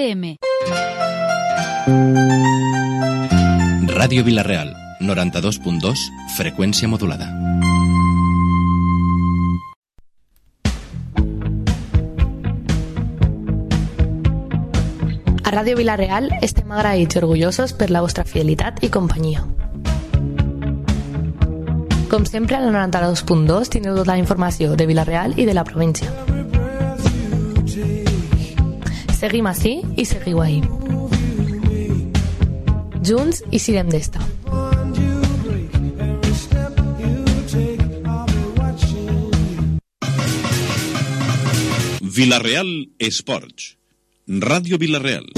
FM. Ràdio Vila-real, 92.2, freqüència modulada. A Ràdio Vila-real estem agraïts i orgullosos per la vostra fidelitat i companyia. Com sempre, al 92.2 teniu tota la informació de Vila-real i de la província. Seguim ací i seguiu ahí. Junts i sirem d'esta. Vila-real Esports. Ràdio Vila-real.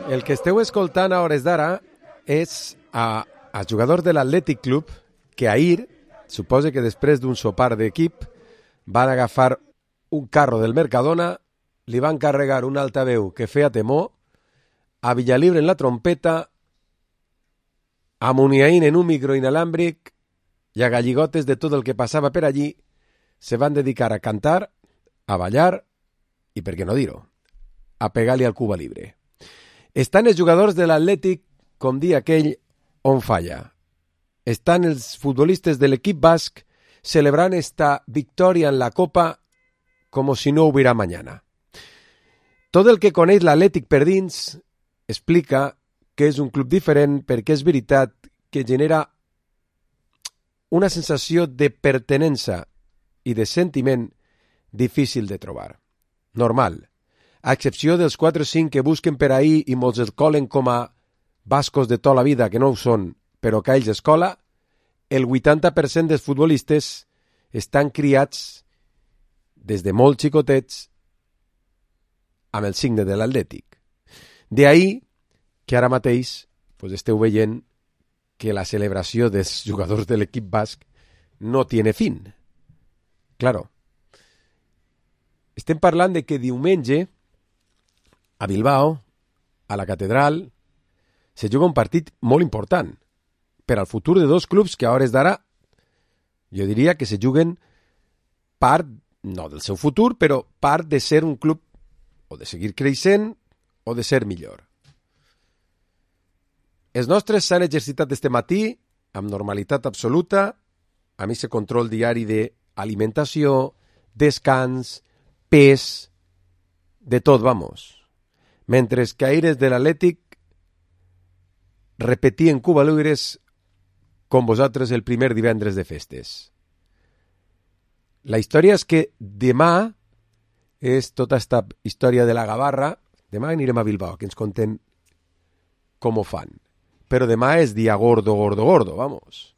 El que esteu escoltant a hores d'ara és el jugador de l'Atlètic Club que ahir, suposa que després d'un sopar d'equip, van agafar un carro del Mercadona, li van carregar un altaveu que feia temor, a Villalibre en la trompeta, a Muniaín en un micro inalàmbric i a galligotes de tot el que passava per allí, se van dedicar a cantar, a ballar i, per què no dir-ho, a pegar-li al Cuba Libre. Estan els jugadors de l'Atlètic, com dir aquell, on falla. Estan els futbolistes de l'equip basc celebrant esta victòria en la Copa com si no hubiera mañana. Tot el que coneix l'Atlètic per dins explica que és un club diferent perquè és veritat que genera una sensació de pertinença i de sentiment difícil de trobar. Normal. A excepció dels 4 o 5 que busquen per ahir i molts el colen com a bascos de tota la vida, que no ho són, però que ells escola, el 80% dels futbolistes estan criats des de molt xicotets amb el signe de l'Atlètic. D'ahir que ara mateix esteu veient que la celebració dels jugadors de l'equip basc no tiene fin. Claro. Estem parlant de que diumenge a Bilbao, a la catedral, se juga un partit molt important per al futur de dos clubs que a hores d'ara jo diria que se juguen part, no del seu futur, però part de ser un club o de seguir creixent o de ser millor. Els nostres s'han exercitat este matí amb normalitat absoluta, amb aquest control diari d'alimentació, descans, pes, de tot, vamos. Mentre que aires de l'Atlètic repetien Cuba Libres com vosaltres el primer divendres de festes. La història és que demà és tota esta història de la gavarra. Demà anirem a Bilbao, que ens conten com ho fan. Però demà és dia gordo, gordo, gordo, vamos.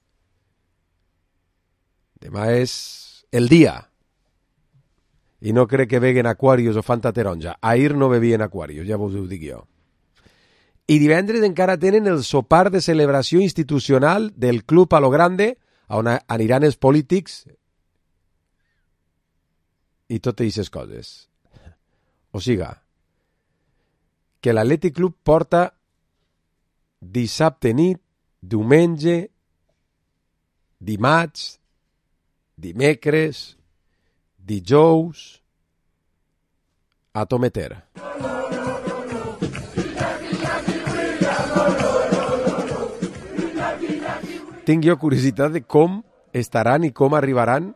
Demà és el dia. I no crec que beguen Aquarius o Fanta Taronja. Ahir no bevien Aquarius, ja vos ho dic jo. I divendres encara tenen el sopar de celebració institucional del club a lo grande, on aniran els polítics i totes aquestes coses. O siga, que l'Atlètic Club porta dissabte nit, diumenge, dimarts, dimecres, dijous, a tometer. Tinc jo curiositat de com estaran i com arribaran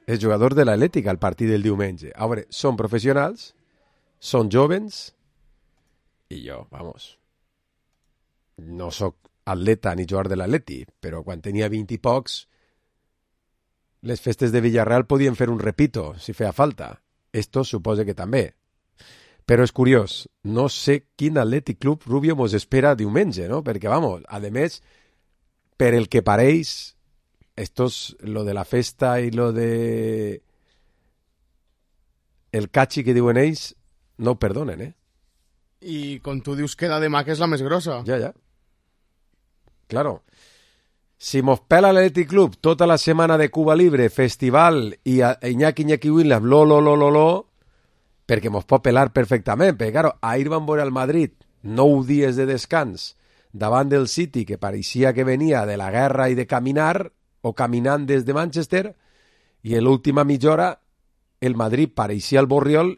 els jugadors de l'Atlètic al partit del diumenge. A veure, són professionals, són jovens, i jo, vamos, no sóc atleta ni jugador de l'Atlètic, però quan tenia 20 i pocs, les festes de Villarreal podien fer un repito, si feia falta. Esto suposa que també. Però és curiós, no sé quin Atlètic Club Rubio mos espera diumenge, no? Perquè, vamos, a més, per el que pareix, estos, lo de la festa i lo de el catxi que diuen ells, no ho perdonen, I com tu dius que la demà que és la més grossa. Ja. Claro. Si mos pela l'Atlètic Club tota la setmana de Cuba Libre, festival i Iñaki Williams, lo, perquè mos pot pelar perfectament, perquè, claro, ahir van veure al Madrid 9 dies de descans davant del City, que pareixia que venia de la guerra i de caminar, o caminant des de Manchester, i en l'última mitja hora el Madrid pareixia el Borriol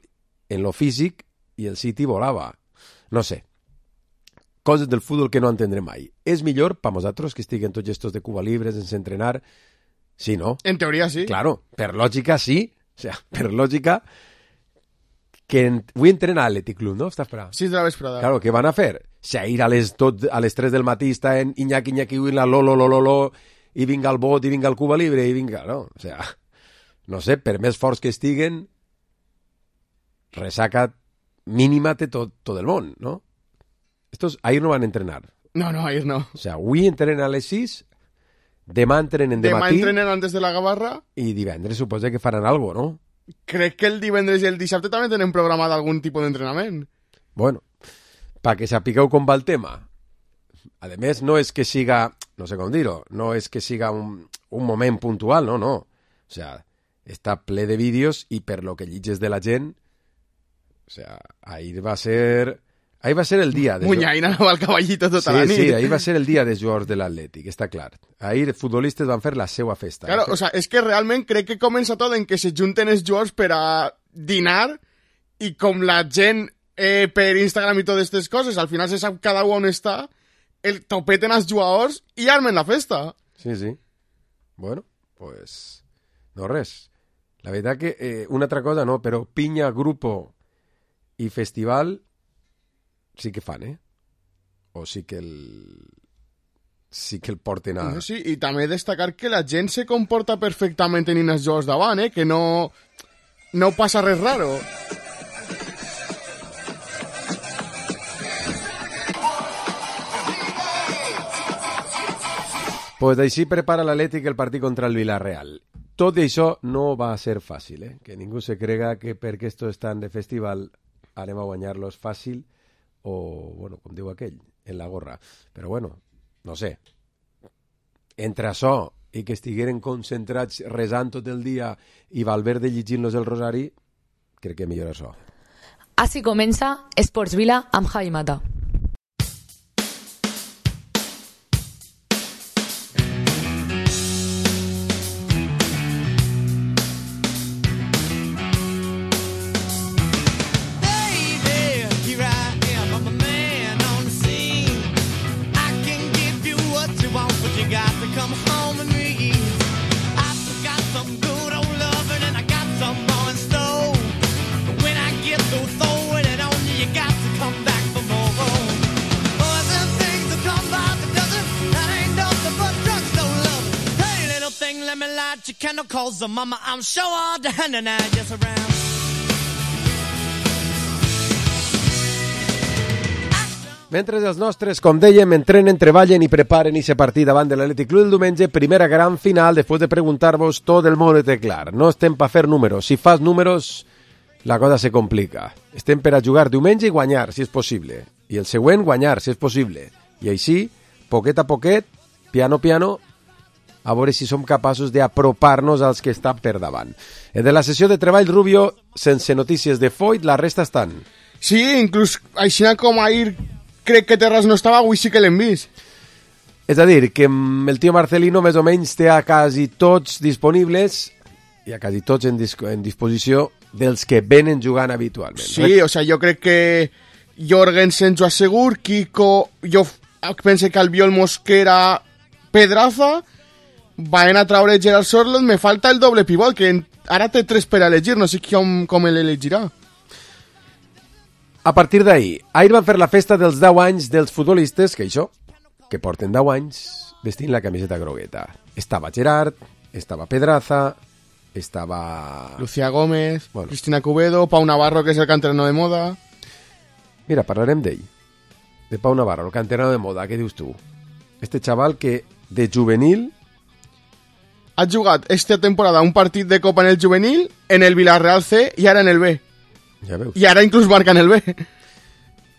en lo físic i el City volava. No sé. Coses del futbol que no entendrem mai. És millor per nosaltres que estiguen tots estos de Cuba Libre sense entrenar? Sí, no? En teoria sí. Claro, per lògica sí. O sea, per lògica que avui entrena l'Atlètic Club, no? Està esperant. 6 de la vesprada. Claro, què van a fer? Si ahir a les 3 del matí està en Iñaki, la lo, i vinga el bot, i vinga el Cuba Libre, i vinga, no? O sea, no sé, per més forts que estiguen, resaca mínima té tot el món, no? Estos ahir no van a entrenar. No, ahir no. O sea, avui entrenen a les 6, demà entrenen de matí... Demà entrenen antes de la gavarra... I divendres suposa que faran algo, no? Crec que el divendres i el dissabte també tenen programat algun tipus d'entrenament. Bueno, para que sapigueu com va el tema. A més, no és que siga, no sé com dir-ho, no és que siga un moment puntual, no. O sea, està ple de vídeos i per lo que llitges de la gent, o sea, ahir va ser el dia... Munyaina anava al cavallito tota la nit. Sí, ahir va ser el dia dels jugadors de l'Atlètic, està clar. Ahir els futbolistes van fer la seva festa. Claro, o sea, és que realment crec que comença tot en que se junten els jugadors per a dinar i com la gent per Instagram i totes aquestes coses, al final se sap cada un on està, el topeten els jugadors i armen la festa. Sí. Bueno, pues... no res. La veritat que una altra cosa no, però pinya, grupo i festival sí que fan, o sí que el porten a... Sí, i també destacar que la gent se comporta perfectament en els jocs davant, que no passa res raro. Pues així prepara l'Atlètic el partit contra el Villarreal. Tot i això no va ser fàcil, que ningú se crega que perquè estos estan de festival anem a guanyar-los fàcil o, bueno, com diu aquell, en la gorra. Però, bueno, no sé. Entre això i que estigueren concentrats resant tot el dia i Valverde llegint-los el rosari, crec que millor això. Així comença Esports Vila amb Javi Mata. Calls the mama, I'm sure all the hand and I just around. Mentre els nostres, com dèiem, entrenen, treballen i preparen aquest partit davant de l'Atlètic Club el diumenge, primera gran final, després de preguntar-vos, tot el món té clar. No estem per fer números. Si fas números, la cosa se complica. Estem per a jugar diumenge i guanyar, si és possible. I el següent, guanyar, si és possible. I així, poquet a poquet, piano, a veure si som capaços d'apropar-nos als que estan per davant. De la sessió de treball, Rubio, sense notícies de Foyt, la resta estan. Sí, inclús així com ahir crec que Terras no estava, avui sí que l'hem vist. És a dir, que el tio Marcelino més o menys té a quasi tots disponibles i a quasi tots en disposició dels que venen jugant habitualment. Sí, o sea, jo crec que Jorgensen, Joan Segur, Kiko, jo penso que Albiol, Mosquera, Pedraza, van a traure Gerard Sorloth, me falta el doble pivot, que ara té 3 per a elegir, no sé com l'elegirà. A partir d'ahir, ahir van fer la festa dels 10 anys dels futbolistes, que porten 10 anys vestint la camiseta grogueta. Estava Gerard, estava Pedraza, estava... Lucía Gómez, bueno. Cristina Cubedo, Pau Navarro, que és el canterano de moda. Mira, parlarem d'ell, de Pau Navarro, el canterano de moda, què dius tu? Este xaval que de juvenil... Ha jugat esta temporada un partit de Copa en el juvenil, en el Villarreal C i ara en el B. Ja veus. I ara inclús marca en el B.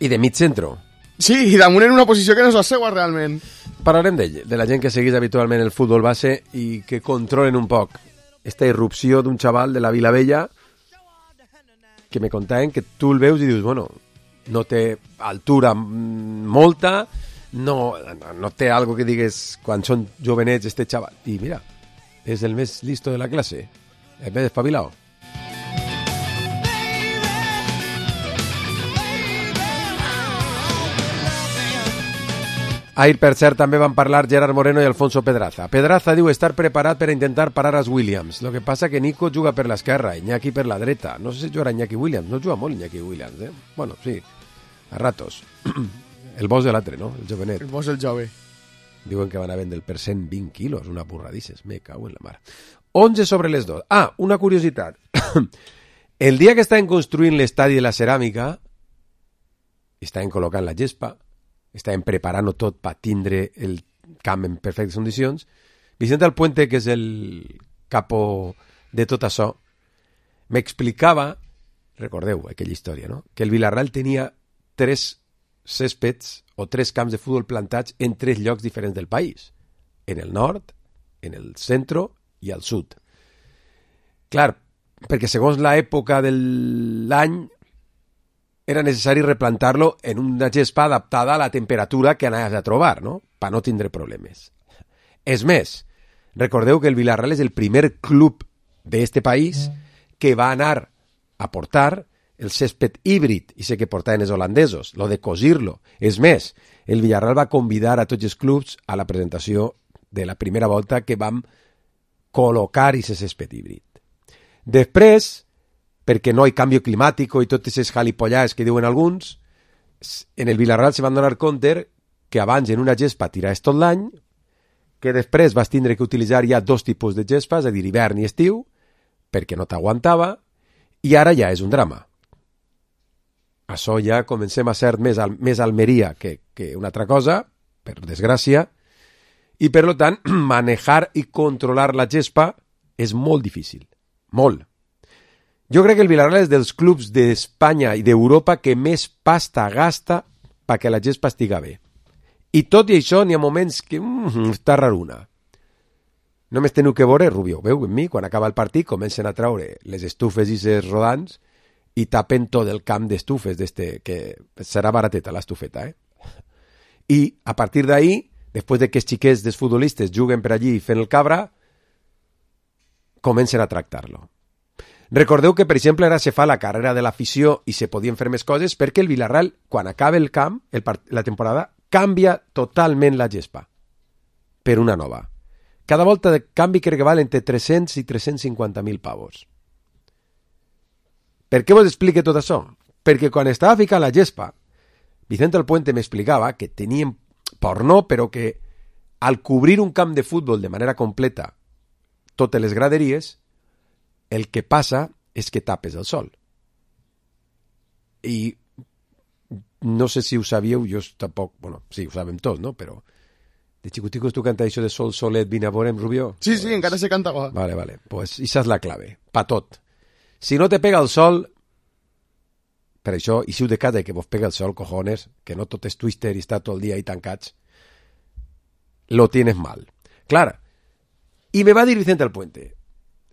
I de mig centro. Sí, i damunt en una posició que no és la seva realment. Parlarem d'ell, de la gent que segueix habitualment el futbol base i que controlen un poc esta irrupció d'un xaval de la Vila Vella que me contaven que tu el veus i dius, bueno, no té altura molta, no té algo que digues quan són jovenets este xaval. I mira, és el més listo de la classe, el més espavilado. Ahir, per cert, també van parlar Gerard Moreno i Alfonso Pedraza. Pedraza diu estar preparat per a intentar parar als Williams. Lo que passa que Nico juga per l'esquerra, Iñaki per la dreta. No sé si jugarà Iñaki Williams. No juga molt Iñaki Williams, eh? Bueno, sí, a ratos. El boss de l'altre, no? El jovenet. El boss del jove. Diuen que van a vendre el per 120 quilos, una burradisses. Me cago en la mar. 11 sobre les 2. Ah, una curiositat. El dia que estaven construint l'estadi de la ceràmica, estaven col·locant la gespa, estaven preparant-ho tot per tindre el camp en perfectes condicions, Vicente Alpuente, que és el capo de tot això, m'explicava, recordeu aquella història, no? Que el Villarreal tenia 3 céspedes o 3 camps de futbol plantats en 3 llocs diferents del país. En el nord, en el centre i al sud. Clar, perquè segons l'època de l'any era necessari replantar-lo en una gespa adaptada a la temperatura que anaves a trobar, no? Per no tindre problemes. És més, recordeu que el Villarreal és el primer club d'este país que va anar a portar el césped híbrid, i sé que portaven els holandesos, lo de cosir-lo. És més, el Villarreal va convidar a tots els clubs a la presentació de la primera volta que vam col·locar aquest césped híbrid. Després, perquè no hi ha canvi climàtic i totes aquestes jalipollades que diuen alguns, en el Villarreal se van donar compte que abans en una gespa tiraves tot l'any, que després vas tindre que utilitzar ja 2 tipus de gespa, és a dir, hivern i estiu, perquè no t'aguantava, i ara ja és un drama. Això ja comencem a ser més Almeria que una altra cosa, per desgràcia, i per tant, manejar i controlar la gespa és molt difícil. Molt. Jo crec que el Villarreal és dels clubs d'Espanya i d'Europa que més pasta gasta perquè la gespa estiga bé. I tot i això n'hi ha moments que està raruna. Només teniu que veure, Rubio, veu en mi, quan acaba el partit comencen a traure les estufes i les rodants i tapen tot el camp d'estufes que serà barateta l'estufeta, I a partir d'ahí, després de que els xiquets dels futbolistes juguen per allí fent el cabra, comencen a tractar-lo. Recordeu que, per exemple, ara se fa la carrera de l'afició i se podien fer més coses perquè el Villarreal, quan acaba el camp, la temporada, canvia totalment la gespa per una nova. Cada volta de canvi crec que val entre 300 i 350.000 pavos. Per què vos explique tot això? Perquè quan estava ficant la gespa, Vicente Alpuente m'explicava que tenien porno, però que al cobrir un camp de futbol de manera completa totes les graderies, el que passa és que tapes el sol. I no sé si ho sabíeu, jo tampoc, bueno, sí, ho sabem tots, no? Però de xicoticos tu canta això de sol, solet, vine a veurem, Rubio? Sí, sí, encara se canta. Vale, pues esa és la clave, pa tot. Si no te pega el sol, per això, i si ho de casa que vos pega el sol, cojones, que no tot és twister i està tot el dia ahí tancats, lo tienes mal. Clar, i me va dir Vicente Alpuente,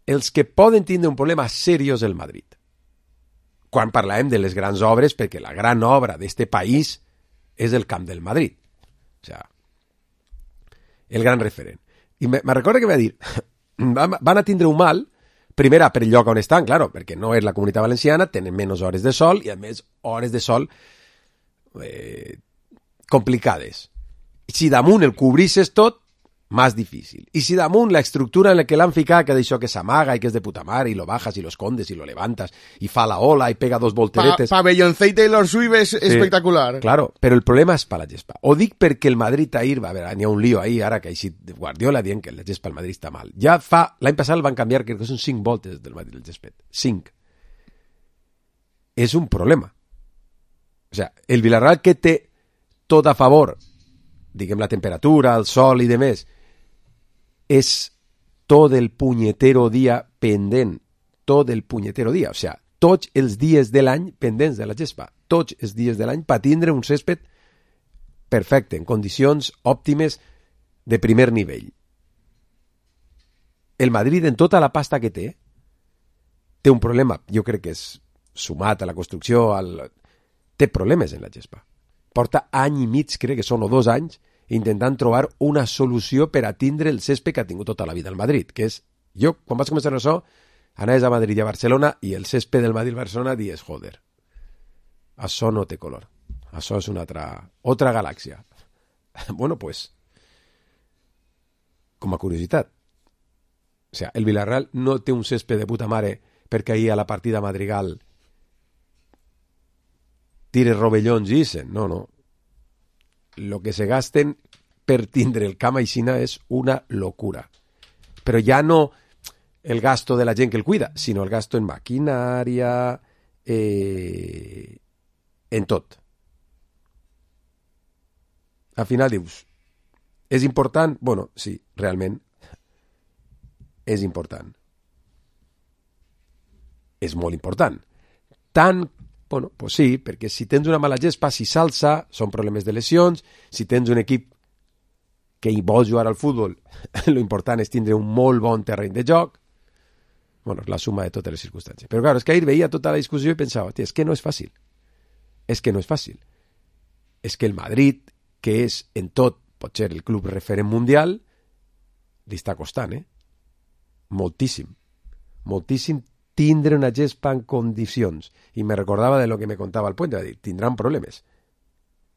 els que poden tindre un problema seriós el Madrid. Quan parlàvem de les grans obres, perquè la gran obra d'este país és el camp del Madrid. O sea, el gran referent. I me recorda que va dir, van a tindre un mal, primera per el lloc on estan, claro, perquè no és la Comunitat Valenciana, tenen menys hores de sol i a més hores de sol complicades. Si damunt el cobrisses tot, más difícil. Y si damunt la estructura en la que l'han ficat, que d'això que s'amaga i que és de puta mare, i lo bajas i lo escondes i lo levantas i fa la ola i pega 2 volteretes... Pabellonceit Taylor Swift és espectacular. Claro, però el problema és per la gespa. Ho dic perquè el Madrid ahir, a veure, n'hi ha un lío ahir, ara que ha eixit Guardiola dient que la gespa al Madrid està mal. Ja fa... L'any passat el van canviar, crec que són 5 voltes del Madrid, el gespet. 5. És un problema. O sea, el Villarreal que té tot a favor, diguem la temperatura, el sol i demés, és tot el punyetero dia pendent, tot el punyetero dia, o sea, tots els dies de l'any pendents de la gespa, tots els dies de l'any per tindre un césped perfecte, en condicions òptimes de primer nivell. El Madrid, en tota la pasta que té un problema, jo crec que és sumat a la construcció, té problemes en la gespa. Porta any i mig, crec que són o 2 anys, intentant trobar una solució per a tindre el césped que ha tingut tota la vida al Madrid, que és, jo, quan vaig començar això, anaves a Madrid i a Barcelona i el césped del Madrid-Barcelona dies, joder, això no té color. Això és una altra galàxia. Bueno, pues, com a curiositat, o sea, el Villarreal no té un césped de puta mare perquè ahir a la partida Madrigal tire rovellons i isen. No, no. Lo que se gasten per tindre el camp aixina és una locura. Però ja no el gasto de la gent que el cuida, sinó el gasto en maquinària, en tot. Al final dius, és important? Bueno, sí, realment és important. És molt important. Tant, bueno, pues sí, perquè si tens una mala gespa, si s'alça, són problemes de lesions. Si tens un equip que hi vol jugar al futbol, lo important és tindre un molt bon terreny de joc. Bueno, la suma de totes les circumstàncies. Però clar, és que ahir veia tota la discussió i pensava, és que no és fàcil. És que no és fàcil. És que el Madrid, que és en tot, pot ser el club referent mundial, li està costant, moltíssim. Moltíssim tindre una gespa en condicions. I me recordava de lo que me contava el Puente, va dir, tindran problemes.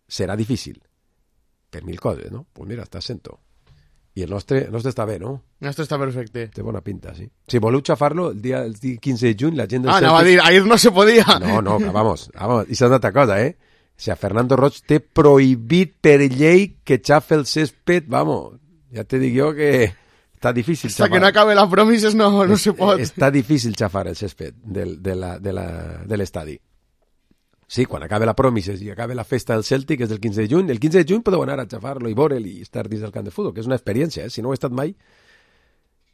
Serà difícil. Per mil coses, no? Pues mira, està sento. I el nostre està bé, no? El nostre està perfecte. Té bona pinta, sí. Si voleu xafar-lo, el dia 15 de juny, la gent del anava a dir, ahir no se podia. No, vamos. I s'ha una altra cosa, O sea, Fernando Roig té prohibit per llei que xafe el césped, vamos, ja te dic jo que està difícil xafar. Hasta que no acabe la promises no se pot. Està difícil xafar el césped de l'estadi. Sí, quan acabe la promises i acabe la festa del Celtic, és del 15 de juny, el 15 de juny podeu anar a xafar-lo i veure'l i estar dins del camp de futbol, que és una experiència, si no ho he estat mai,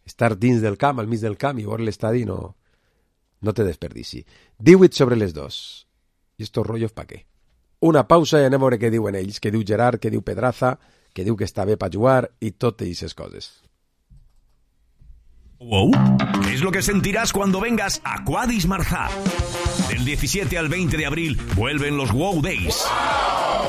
estar dins del camp, al mig del camp i veure l'estadi no té desperdici. 18:02. I estos rollos pa què? Una pausa i anem a veure què diuen ells, què diu Gerard, què diu Pedraza, què diu que està bé per jugar i totes aquestes coses. Wow, ¿qué es lo que sentirás cuando vengas a Quadis Marzá? Del 17 al 20 de abril vuelven los Wow Days.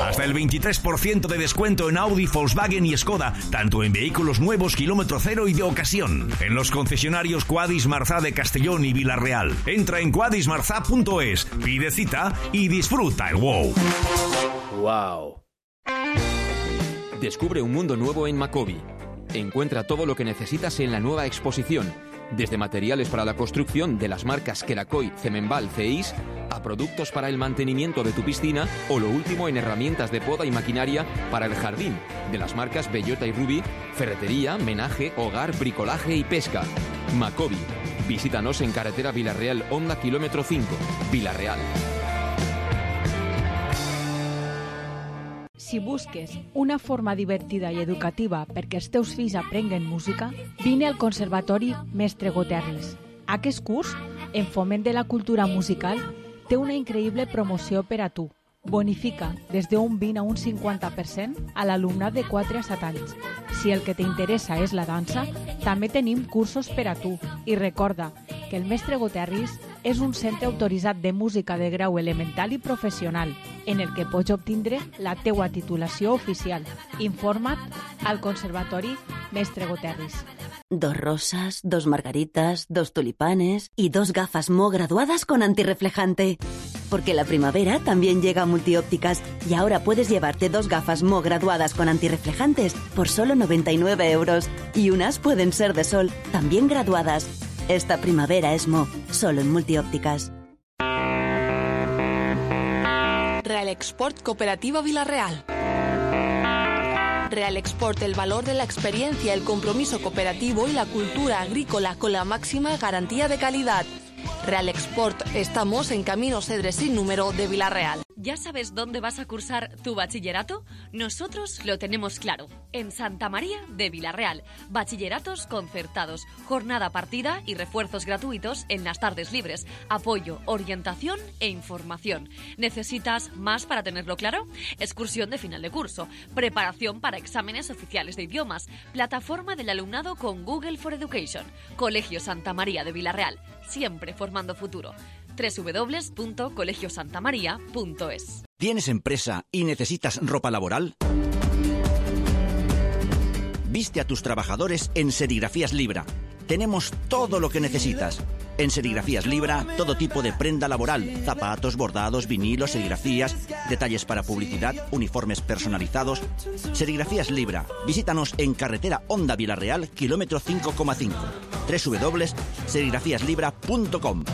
Hasta el 23% de descuento en Audi, Volkswagen y Skoda, tanto en vehículos nuevos, kilómetro cero y de ocasión. En los concesionarios Quadis Marzá de Castellón y Villarreal. Entra en quadismarzá.es, pide cita y disfruta el wow. Wow. Descubre un mundo nuevo en Macobi. Encuentra todo lo que necesitas en la nueva exposición, desde materiales para la construcción de las marcas Kerakoy, Cemenbal, CEIS, a productos para el mantenimiento de tu piscina o lo último en herramientas de poda y maquinaria para el jardín, de las marcas Bellota y Ruby, ferretería, menaje, hogar, bricolaje y pesca. Macobi. Visítanos en carretera Villarreal, Honda, kilómetro 5, Villarreal. Si busques una forma divertida i educativa perquè els teus fills aprenguen música, vine al Conservatori Mestre Goterris. Aquest curs, en foment de la cultura musical, té una increïble promoció per a tu. Bonifica des d'un 20 a un 50% a l'alumnat de 4 a 7 anys. Si el que t'interessa és la dansa, també tenim cursos per a tu. I recorda que el Mestre Goterris és un centre autoritzat de música de grau elemental i professional, en el que pots obtindre la teua titulació oficial. Informa't al Conservatori Mestre Goterris. 2 rosas, 2 margaritas, 2 tulipanes y 2 gafas Mo graduadas con antirreflejante. Porque la primavera también llega a Multiópticas y ahora puedes llevarte 2 gafas Mo graduadas con antirreflejantes por solo 99 €. Y unas pueden ser de sol, también graduadas. Esta primavera es Mo, solo en Multiópticas. Real Export Cooperativa Villarreal. Real Export, el valor de la experiencia, el compromiso cooperativo y la cultura agrícola con la máxima garantía de calidad. Real Export, estamos en Camino Cedre sin número de Villarreal. ¿Ya sabes dónde vas a cursar tu bachillerato? Nosotros lo tenemos claro. En Santa María de Villarreal. Bachilleratos concertados, jornada partida y refuerzos gratuitos en las tardes libres. Apoyo, orientación e información. ¿Necesitas más para tenerlo claro? Excursión de final de curso. Preparación para exámenes oficiales de idiomas. Plataforma del alumnado con Google for Education. Colegio Santa María de Villarreal. Siempre formando futuro. www.colegiosantamaria.es. ¿Tienes empresa y necesitas ropa laboral? Viste a tus trabajadores en Serigrafías Libra. Tenemos todo lo que necesitas. En Serigrafías Libra, todo tipo de prenda laboral, zapatos, bordados, vinilos, serigrafías, detalles para publicidad, uniformes personalizados. Serigrafías Libra. Visítanos en carretera Honda Villarreal, kilómetro 5,5. www.serigrafíaslibra.com.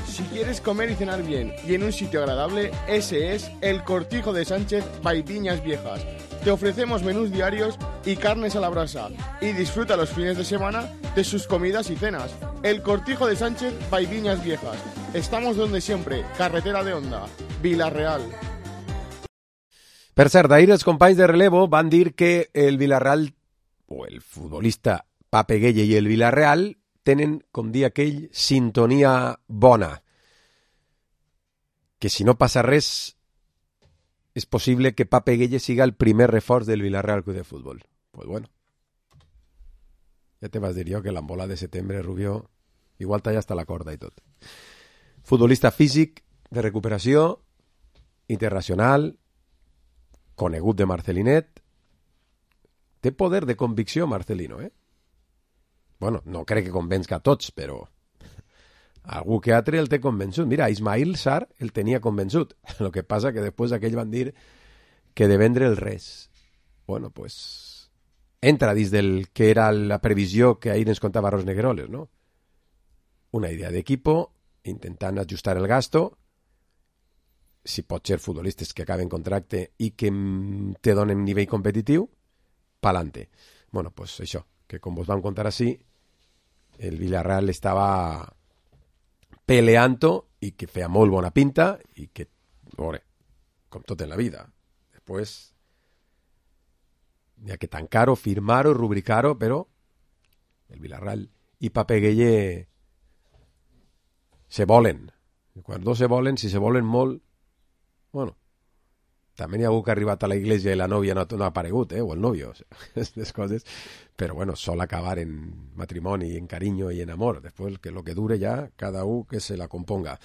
Si quieres comer y cenar bien y en un sitio agradable, ese es el Cortijo de Sánchez by Viñas Viejas. Te ofrecemos menús diarios y carnes a la brasa. Y disfruta los fines de semana de sus comidas y cenas. El Cortijo de Sánchez by Viñas Viejas. Estamos donde siempre, carretera de Honda, Vila-real. Per cert, d'ahir els companys de relevo van dir que el Villarreal, o el futbolista Pape Gueye i el Villarreal, tenen, com dir aquell, sintonia bona. Que si no passa res, és possible que Pape Gueye siga el primer reforç del Villarreal Club de Fútbol. Pues bueno. Ja te vas dir jo que l'embola de setembre, Rubió, igual talla hasta la corda i tot. Futbolista físic, de recuperació, internacional, conegut de Marcelinet. Té poder de convicció, Marcelino, eh? Bueno, no crec que convenç a tots, però algú que altre el té convençut. Mira, Ismail Sarr el tenia convençut. El que passa que després aquells van dir que de vendre el res. Bueno, pues entra dins del que era la previsió que ahir ens contava Ros Negueroles, no? Una idea d'equipo, intentant ajustar el gasto, si pot ser futbolistes que acaben contracte i que te donen nivell competitiu, pa'lante. Bueno, pues això, que com vos vam contar així, el Villarreal estava peleando i que feia molt bona pinta i que, veure, com tot en la vida, després hi ha que tancar-ho, firmar-ho, rubricar-ho, però el Villarreal i Pape Gueye se volen. Quan dos se volen, si se volen molt, bueno, també hi ha algú que ha arribat a la iglesia i la nòvia no ha aparegut, o el novio, o sea, aquestes coses, però bueno, sol acabar en matrimoni, en carinyo i en amor, després que lo que dure ja, cada un que se la componga.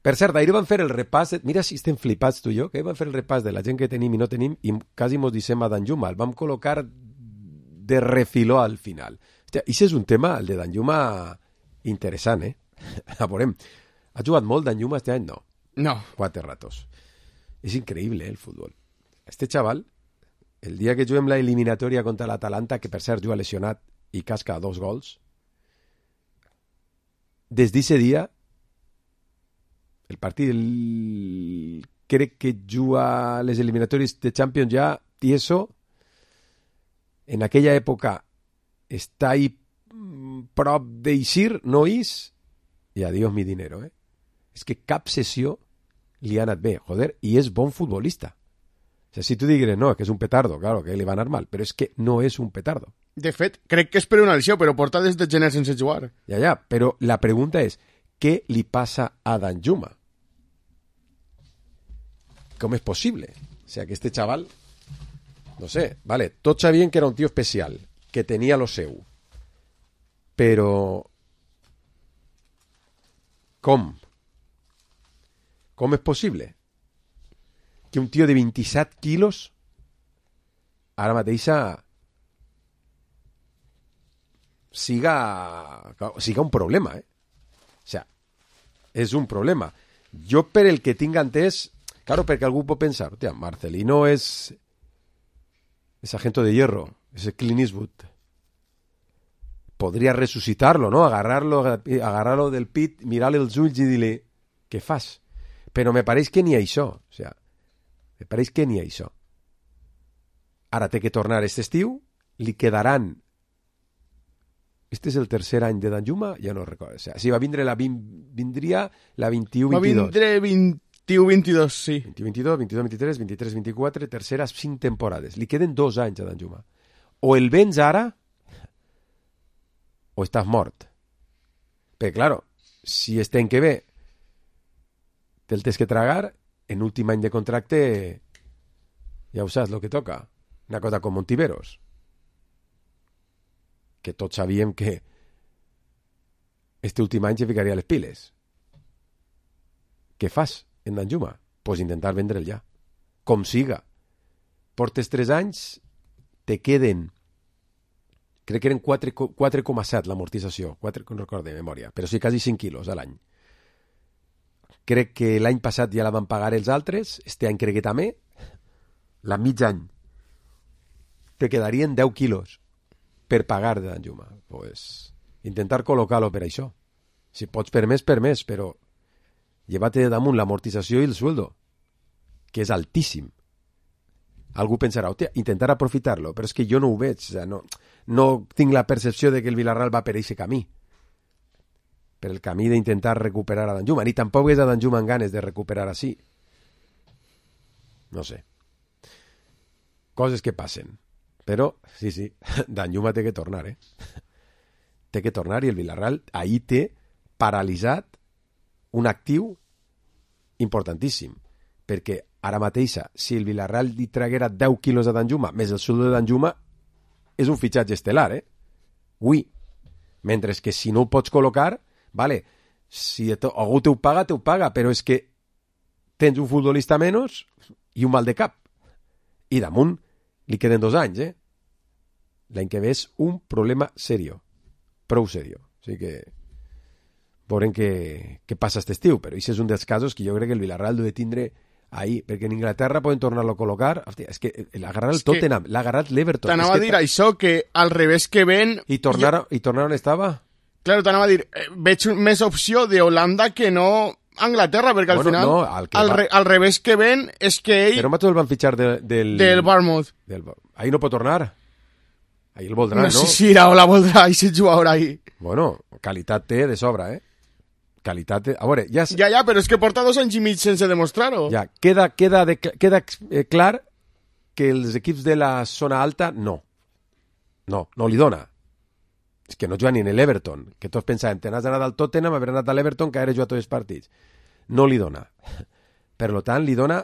Per cert, ahir van fer el repàs, mira si estem flipats tu i jo, que van fer el repàs de la gent que tenim i no tenim i quasi mos dissem a Danjuma, el vam col·locar de refiló al final. Hòstia, i és un tema, el de Danjuma, interessant, A veurem, ha jugat molt Danjuma este any? No. No. 4 ratos. És increïble, el futbol. Este xaval, el dia que juguem la eliminatòria contra l'Atalanta, que per cert juga lesionat i casca 2 gols, des d'aquest dia, el partit crec que juga les eliminatòries de Champions ja tieso, en aquella època està ahí prop d'eixir, no és, i adiós mi dinero, És que cap sessió li ha anat bé, joder, i és bon futbolista. O sigui, si tu digues, no, que és un petardo, claro, que li va anar mal, però és que no és un petardo. De fet, crec que és per una lesió, però porta des de gener sense jugar. Ja, però la pregunta és, què li passa a Danjuma? Com és possible? O sigui, que este chaval, no sé, vale, tots sabien que era un tio especial, que tenia lo seu, però com? Com és possible que un tio de 27 quilos ara mateixa siga un problema, O sea, és un problema. Jo, per el que tinc entès, claro, perquè algú pot pensar, hòstia, Marcelino és agente de hierro, és Clint Eastwood. Podria resucitarlo, ¿no? Agarrar-lo del pit, mirar-li els ulls i dir-li, què fas? Però me pareix que ni això. O sea, me pareix que ni això. Ara té que tornar aquest estiu, li quedaran... Este és el tercer any de Danjuma, ja no recordo. O sea, si va vindre vindria la 21-22. Va vindre 21-22, sí. 21-22, 22-23, 23-24, terceres 5 temporades. Li queden 2 anys a Danjuma. O el vens ara, o estàs mort. Però, claro, si este any que ve te'l tens que tragar, en últim any de contracte ja ho saps, lo que toca. Una cosa com Montiveros. Que tots sabíem que este últim any se ficaria les piles. Què fas en Danjuma? Pues intentar vendre'l ja. Com siga. Portes 3 anys, te queden, crec que eren 4,7 l'amortització, 4, no recordo de memòria, però sí quasi 5 quilos a l'any. Crec que l'any passat ja la van pagar els altres, este any crec que també, la mig any te quedarien 10 quilos per pagar de Danjuma. Pues intentar col·locar-lo per això. Si pots per més, però llévate de damunt l'amortització i el sueldo, que és altíssim. Algú pensarà, intentar aprofitar-lo, però és que jo no ho veig, no tinc la percepció de que el Villarreal va per aquest camí, per el camí d'intentar recuperar a Danjuma, ni tampoc és a Danjuma amb ganes de recuperar així. No sé. Coses que passen. Però, sí, Danjuma té que tornar, Té que tornar i el Villarreal ahir té paralitzat un actiu importantíssim, perquè ara mateixa, si el Villarreal li traguera 10 quilos a Danjuma, més el sueldo de Danjuma, és un fitxatge estel·lar, Ui. Mentre que si no ho pots col·locar, vale, si algú te ho paga, però és que tens un futbolista menys i un mal de cap. I damunt li queden 2 anys, L'any que ve és un problema serio, prou serio. O sigui que veurem què passa aquest estiu, però això és un dels casos que jo crec que el Villarreal deu de tindre ahir, perquè en Inglaterra poden tornar-lo a col·locar. Hòstia, és que l'ha agarrat el Tottenham, l'ha agarrat l'Everton. T'anava a dir això, que al revés que ven... I tornar on estava? Claro, t'anava a dir, veig més opció d'Holanda que no Anglaterra, perquè al final al revés que ven és que ell... Però el van fitxar del Bournemouth. Ahir no pot tornar. Ahir el voldrà, no? No sé si la voldrà i si jugador ahir. Bueno, qualitat té de sobra, Qualitat té... A veure, ja... Ja, però és que porta 2 anys i mig sense demostrar-ho. Ja, queda clar que els equips de la zona alta no li dona. És que no juguen ni en l'Everton, que tots pensàvem, te n'has anat al Tottenham, haver anat a l'Everton, que ara juga tots els partits. No li dona. Per tant, li dona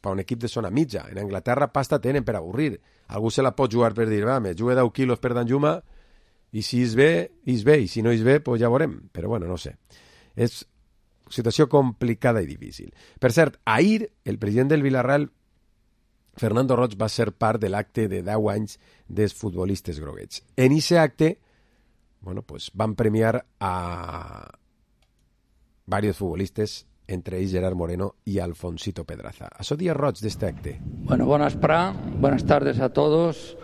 per un equip de zona mitja. En Anglaterra pasta tenen per avorrir. Algú se la pot jugar per dir, me jugue 10 quilos per Danjuma, i si és bé, i si no és bé, pues ja veurem. Però bueno, no sé. És situació complicada i difícil. Per cert, ahir el president del Villarreal, Fernando Roig, va ser part de l'acte de 10 anys dels futbolistes groguets. En aquest acte van premiar a varios futbolistes, entre ells Gerard Moreno y Alfonsito Pedraza. Això dia Roig de este acte. Bueno, buenas tardes a todos.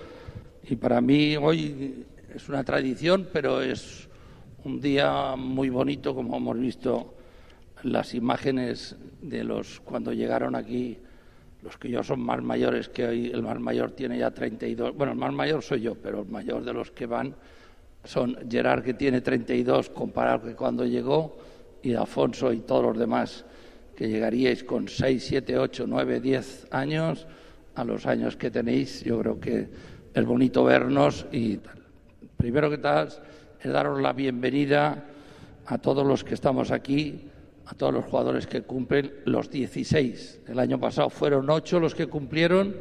Y para mí hoy es una tradición, pero es un día muy bonito, como hemos visto las imágenes de los cuando llegaron aquí, los que yo son más mayores que hoy. El más mayor tiene ya 32, bueno, el más mayor soy yo, pero el mayor de los que van son Gerard, que tiene 32, comparado que cuando llegó, y Alfonso y todos los demás que llegaríais con 6, 7, 8, 9, 10 años, a los años que tenéis. Yo creo que es bonito vernos y tal. Primero que tal es daros la bienvenida a todos los que estamos aquí, a todos los jugadores que cumplen los 16. El año pasado fueron 8 los que cumplieron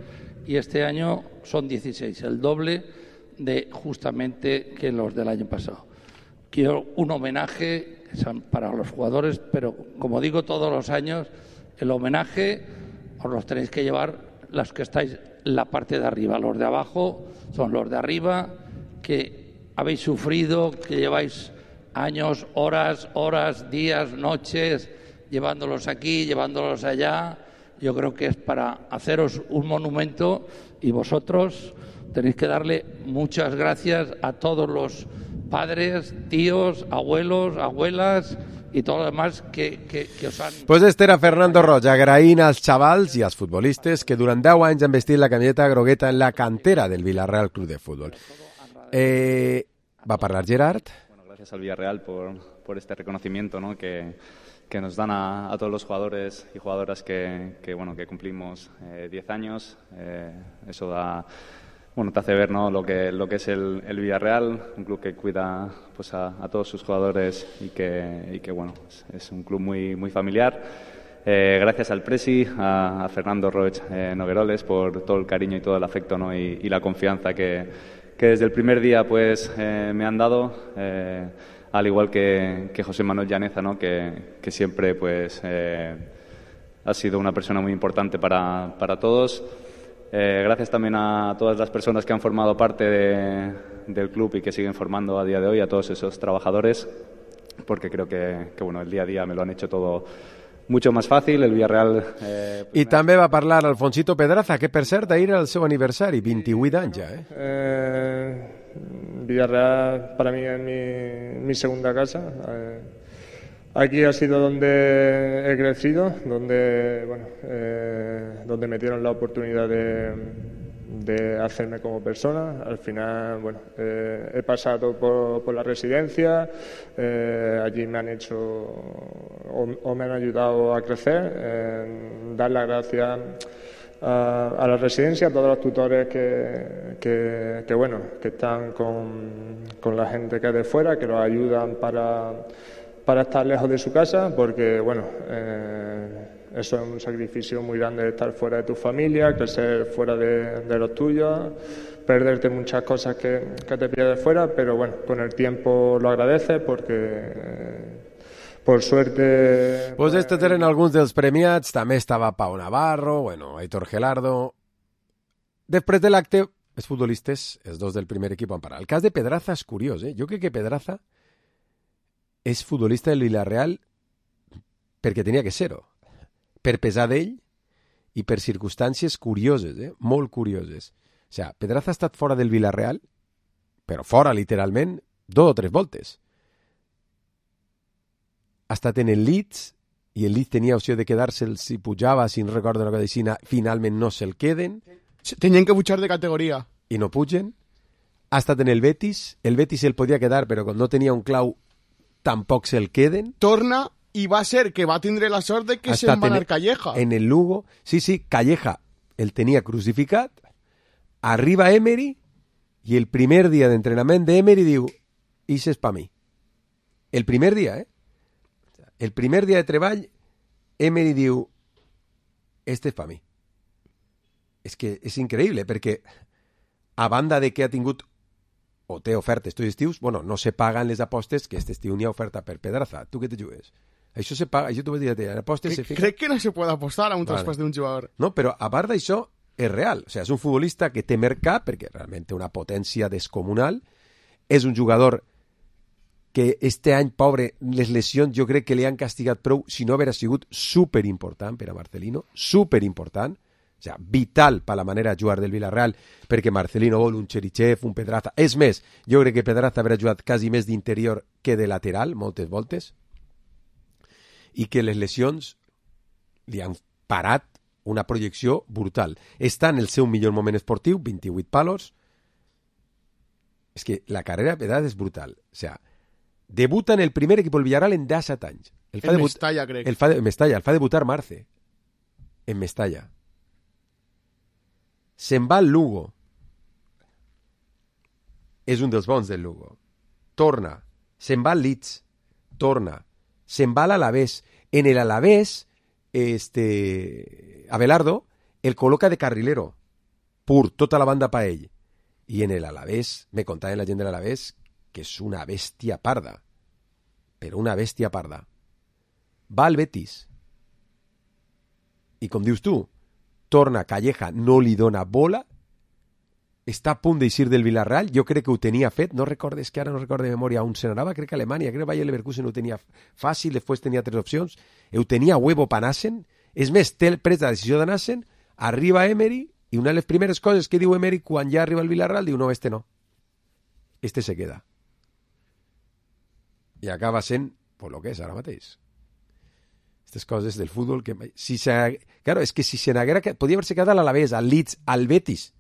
y este año son 16, el doble de justamente que los del año pasado. Quiero un homenaje para los jugadores, pero como digo todos los años, el homenaje os los tenéis que llevar los que estáis en la parte de arriba. Los de abajo son los de arriba, que habéis sufrido, que lleváis años, horas, días, noches, llevándolos aquí, llevándolos allá. Yo creo que es para haceros un monumento, y vosotros tenéis que darle muchas gracias a todos los padres, tíos, abuelos, abuelas i tot el demás que us han... Pues este era Fernando Roig, agraint als xavals i als futbolistes que durant 10 anys han vestit la camiseta grogueta en la cantera del Villarreal Club de Fútbol. Va a parlar Gerard. Bueno, gracias al Villarreal por este reconocimiento, ¿no? que nos dan a todos los jugadores y jugadoras que cumplimos 10 años. Eso da... Bueno, te hace ver, ¿no?, lo que es el Villarreal, un club que cuida pues a todos sus jugadores y que bueno, es un club muy familiar. Gracias al Presi, a Fernando Roig Nogueroles por todo el cariño y todo el afecto, ¿no?, y la confianza que desde el primer día pues me han dado. al igual que José Manuel Llaneza, ¿no? que siempre pues ha sido una persona muy importante para todos. Gracias también a todas las personas que han formado parte del club y que siguen formando a día de hoy, a todos esos trabajadores, porque creo que bueno, el día a día me lo han hecho todo mucho más fàcil. El Villarreal... I també va parlar Alfonsito Pedraza, que per cert ahir era el seu aniversari, 28 anys ja. Villarreal para mí es mi segunda casa. Aquí ha sido donde he crecido, donde me dieron la oportunidad de hacerme como persona. Al final, he pasado por la residencia, allí me han hecho o me han ayudado a crecer. Dar las gracias a la residencia, a todos los tutores que están con la gente que es de fuera, que los ayudan para estar lejos de su casa, porque eso es un sacrificio muy grande, de estar fuera de tu familia, crecer fuera de los tuyos, perderte muchas cosas que te pierdes fuera, pero con el tiempo lo agradeces porque por suerte... Pues estos eren alguns dels premiats, també estava Pau Navarro, Aitor Gelardo. Després de l'acte, els futbolistes, els dos del primer equip van parar. El cas de Pedraza és curiós, Jo crec que Pedraza és futbolista del Villarreal perquè tenia que ser-ho, per pesar d'ell i per circumstàncies curioses, molt curioses. O sigui, Pedraza ha estat fora del Villarreal, però fora literalment 2 o 3 voltes. Ha estat en el Leeds i el Leeds tenia opció de quedar-se'l si pujava, si no recordo una cosa així, finalment no se'l queden. Tenien que pujar de categoria. I no pugen. Ha estat en el Betis se'l podia quedar, però quan no tenia un clau tampoc se'l queden. Torna i va ser que va tindre la sort de que se'n va anar Calleja. En el Lugo, sí, Calleja el tenia crucificat, arriba Emery i el primer dia d'entrenament d'Emery diu, "Ixe és pa mi". El primer dia, El primer dia de treball, Emery diu, "Este és pa mi". És que és increïble, perquè a banda de que ha tingut o té ofertes tots estius, no se paguen les apostes, que aquest estiu n'hi ha oferta per Pedraza. Tu què te jugues? Això se paga, això t'ho vaig dir, apostes se fica... Crec que no se pot apostar a un traspàs d'un jugador. No, però a part d'això, és real. O sigui, és un futbolista que té mercat, perquè realment té una potència descomunal, és un jugador que este any, pobre, les lesions jo crec que li han castigat prou, si no haver sigut superimportant per a Marcelino, superimportant, o sigui, vital per la manera de jugar del Villarreal, perquè Marcelino vol un Cherichev, un Pedraza. És més, jo crec que Pedraza haurà jugat quasi més d'interior que de lateral, moltes voltes, i que les lesions li han parat una projecció brutal. Està en el seu millor moment esportiu, 28 palos. És que la carrera de Pedraza és brutal. O sigui, debuta en el primer equip del Villarreal en 17 anys. En Mestalla, crec. En Mestalla, el fa debutar Marce. En Mestalla. Se'n va al Lugo. És un dels bons del Lugo. Torna. Se'n va al Leeds. Torna. Se'n va a l'Alavés. En el Alavés, Abelardo el col·loca de carrilero. Pur, tota la banda pa ell. I en el Alavés, me contaven la gent de l'Alavés, que és una bèstia parda. Però una bèstia parda. Va al Betis. I com dius tu, torna Calleja, no li dona bola, està a punt d'eixir del Villarreal, jo crec que ho tenia fet, no recordes que ara no recordo de memòria on se n'anava, crec que Alemanya, crec que Bayer Leverkusen ho tenia fàcil, després tenia 3 opcions, ho tenia huevo per anar-se'n, és més, té pres la decisió d'anar-se'n, arriba Emery, i una de les primeres coses que diu Emery quan ja arriba al Villarreal, diu, no, este no, este se queda. I acaba sent, pues lo que és ara mateix. Aquestes coses del futbol que... Claro, és que si se n'haguera... Podria haver-se quedat a l'Alavés, al Leeds, al Betis,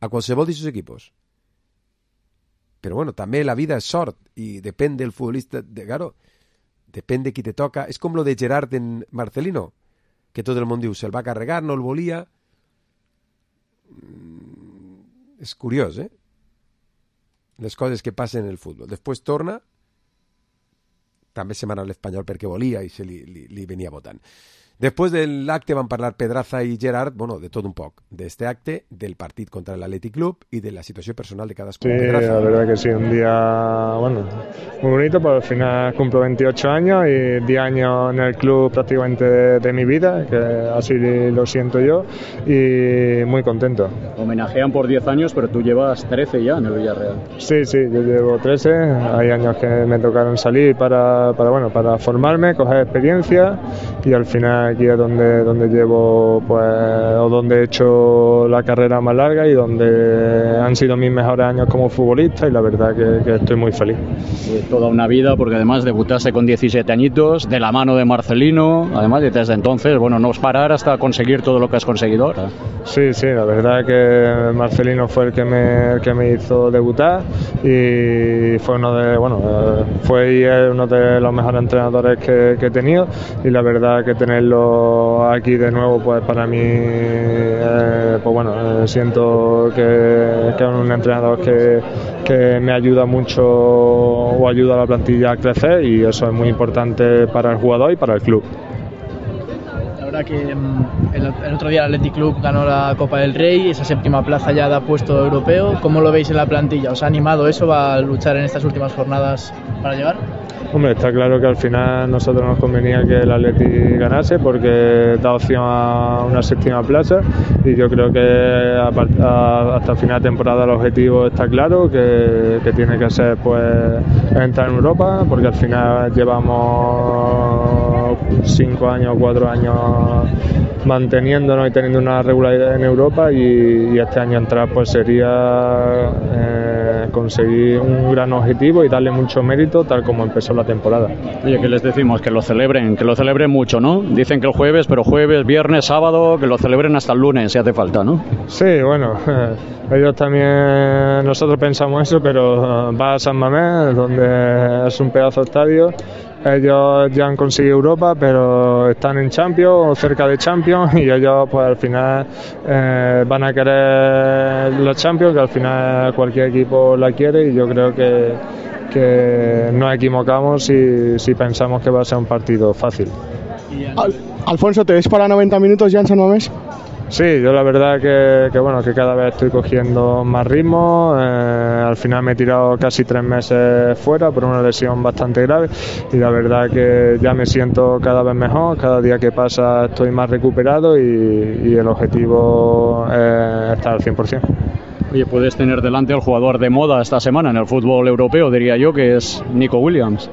a qualsevol d'aquests equipos. Però bueno, també la vida és sort i depèn del futbolista, claro, depèn de qui te toca. És com lo de Gerard en Marcelino, que tot el món diu, se'l va carregar, no el volia. És curiós, les coses que passen en el futbol. Després torna, també se m'ha anat l'Espanyol perquè volia i se li venia votant. Després de l'acte van parlar Pedraza i Gerard, bueno, de tot un poc, d'este acte, del partit contra el Athletic Club y de la situación personal de cadascú. Sí, Pedraza. la verdad que sí, un día, bueno, muy bonito, porque al final cumplo 28 años y 10 años en el club prácticamente de mi vida, que así lo siento yo, y muy contento. Homenajean por 10 años, pero tú llevas 13 ya en el Villarreal. Sí, yo llevo 13, hay años que me tocaron salir para formarme, coger experiencia, y al final aquí es donde llevo, pues, o donde he hecho la carrera más larga y donde han sido mis mejores años como futbolista, y la verdad que estoy muy feliz. Toda una vida, porque además debutaste con 17 añitos, de la mano de Marcelino, además, y desde entonces, bueno, no es parar hasta conseguir todo lo que has conseguido ahora. Sí, la verdad que Marcelino fue el que me hizo debutar, y fue uno de los mejores entrenadores que he tenido, y la verdad que tenerlo aquí de nuevo, pues para mí, siento que es un entrenador que me ayuda mucho, o ayuda a la plantilla a crecer, y eso es muy importante para el jugador y para el club. La verdad que el otro día el Athletic Club ganó la Copa del Rey, esa séptima plaza ya da puesto europeo. ¿Cómo lo veis en la plantilla? ¿Os ha animado eso? ¿Va a luchar en estas últimas jornadas para llegar? Hombre, está claro que al final a nosotros nos convenía que el Athletic ganase, porque da opción a una séptima plaza, y yo creo que hasta el final de temporada el objetivo está claro, que tiene que ser, pues, entrar en Europa, porque al final llevamos 5 años, 4 años manteniéndonos y teniendo una regularidad en Europa, y este año entrar, pues, sería conseguir un gran objetivo y darle mucho mérito tal como empezó la temporada. Oye, ¿qué les decimos? Que lo celebren mucho, ¿no? Dicen que el jueves, pero jueves, viernes, sábado, que lo celebren hasta el lunes si hace falta, ¿no? Sí, bueno, ellos también, nosotros pensamos eso, pero va a San Mamés, donde es un pedazo de estadio. Ellos ya han conseguido Europa, pero están en Champions o cerca de Champions, y ellos, pues, al final van a querer los Champions, que al final cualquier equipo la quiere, y yo creo que nos equivocamos si pensamos que va a ser un partido fácil. Alfonso, ¿te ves para 90 minutos ya en San Mamés? Sí, yo la verdad que cada vez estoy cogiendo más ritmo. Al final me he tirado casi 3 meses fuera por una lesión bastante grave, y la verdad que ya me siento cada vez mejor. Cada día que pasa estoy más recuperado, y el objetivo es estar al 100%. Oye, puedes tener delante al jugador de moda esta semana en el fútbol europeo, diría yo, que es Nico Williams.